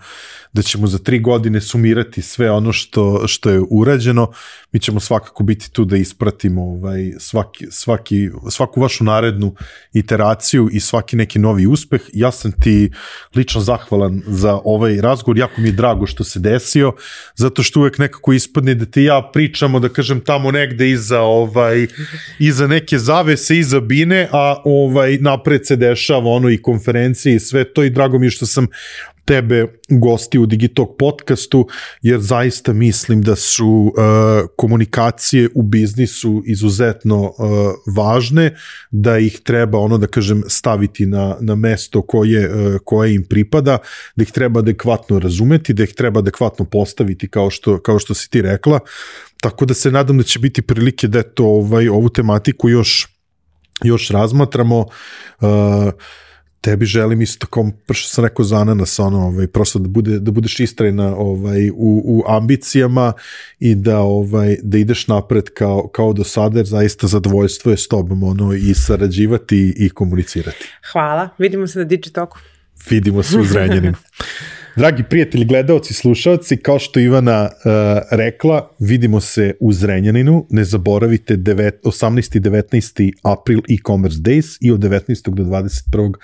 da ćemo za tri godine sumirati sve ono što, što je urađeno. Mi ćemo svakako biti tu da ispratimo ovaj, svaki, svaki, svaku vašu narednu iteraciju i svaki neki novi uspeh. Ja sam ti lično zahvalan za ovaj razgovor, jako mi je drago što se desio, zato što uvek nekako ispadne da ti ja pričamo, da kažem, tamo negde iza, ovaj, iza neke zavese, iza bine, a ovaj, napred se dešava ono i konferencije i sve to i drago mi je što sam tebe gosti u Digitalk podcastu, jer zaista mislim da su uh, komunikacije u biznisu izuzetno uh, važne, da ih treba, ono da kažem, staviti na, na mesto koje, uh, koje im pripada, da ih treba adekvatno razumeti, da ih treba adekvatno postaviti kao što, kao što si ti rekla, tako da se nadam da će biti prilike da to, ovaj, ovu tematiku još, još razmatramo. Uh, Tebi želim isto tako, što sam rekao za Ananas, ono, ovaj, prosto da, bude, da budeš istrajna ovaj, u, u ambicijama i da, ovaj, da ideš napred kao, kao do sada, jer zaista zadovoljstvo je s tobom ono, i sarađivati i komunicirati. Hvala, vidimo se na Digitalku. Vidimo se u Zrenjaninu. Dragi prijatelji, gledaoci, slušalci, kao što Ivana uh, rekla, vidimo se u Zrenjaninu. Ne zaboravite osamnaesti i devetnaesti april e-commerce days i od devetnaestog do dvadeset prvog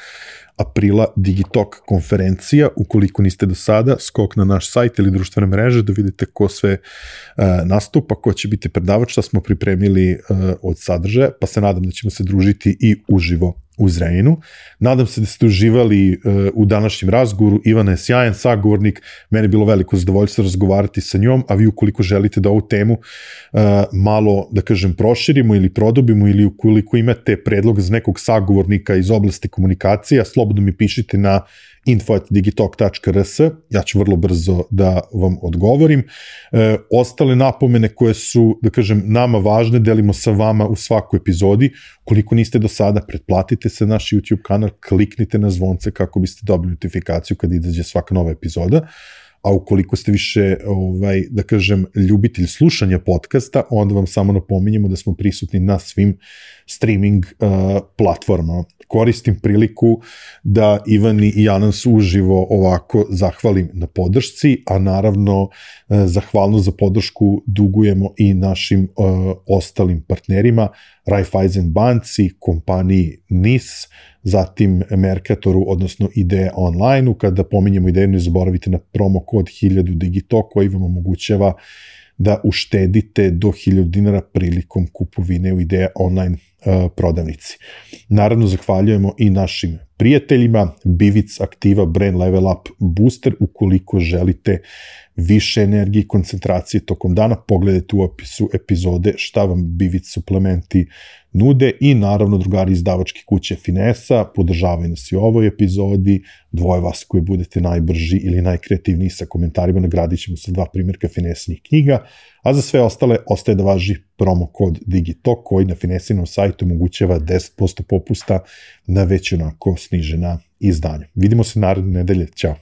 aprila Digitalk konferencija. Ukoliko niste do sada, skok na naš sajt ili društvene mreže da vidite ko sve uh, nastupa, ko će biti predavač, šta smo pripremili uh, od sadržaja, pa se nadam da ćemo se družiti i uživo u Zrenjaninu. Nadam se da ste uživali uh, u današnjem razgovoru. Ivana je sjajan sagovornik, meni je bilo veliko zadovoljstvo razgovarati sa njom, a vi ukoliko želite da ovu temu uh, malo, da kažem, proširimo ili produbimo ili ukoliko imate predlog za nekog sagovornika iz oblasti komunikacija, slobodno mi pišite na info at digitalk tačka r s, ja ću vrlo brzo da vam odgovorim. E, ostale napomene koje su, da kažem, nama važne, delimo sa vama u svakoj epizodi. Koliko niste do sada, pretplatite se na naš YouTube kanal, kliknite na zvonce kako biste dobili notifikaciju kad izađe svaka nova epizoda. A ukoliko ste više, ovaj, da kažem, ljubitelj slušanja podcasta, onda vam samo napominjemo da smo prisutni na svim streaming uh, platformama. Koristim priliku da Ivani i Ananas uživo ovako zahvalim na podršci, a naravno uh, zahvalnost za podršku dugujemo i našim uh, ostalim partnerima, Raiffeisen banci, kompaniji N I S, zatim Mercatoru, odnosno Ideja Online-u. Kada pominjemo Ideju, ne zaboravite na promo kod hiljadu Digitalk koji vam omogućava da uštedite do hiljadu dinara prilikom kupovine u Ideja Online uh, prodavnici. Naravno, zahvaljujemo i našim prijateljima, Bivic Aktiva Brain Level Up Booster. Ukoliko želite više energije i koncentracije tokom dana, pogledajte u opisu epizode šta vam Bivic suplementi nude i naravno drugari izdavačke kuće Finesa, podržavaju nas i u ovoj epizodi, dvoje vas koji budete najbrži ili najkreativniji sa komentarima, nagradit ćemo sa dva primjerka Finesinih knjiga, a za sve ostale ostaje da važi promo kod Digitalk koji na Finesinom sajtu omogućava deset posto popusta na već onako snižena izdanja. Vidimo se naredne nedelje. Ćao.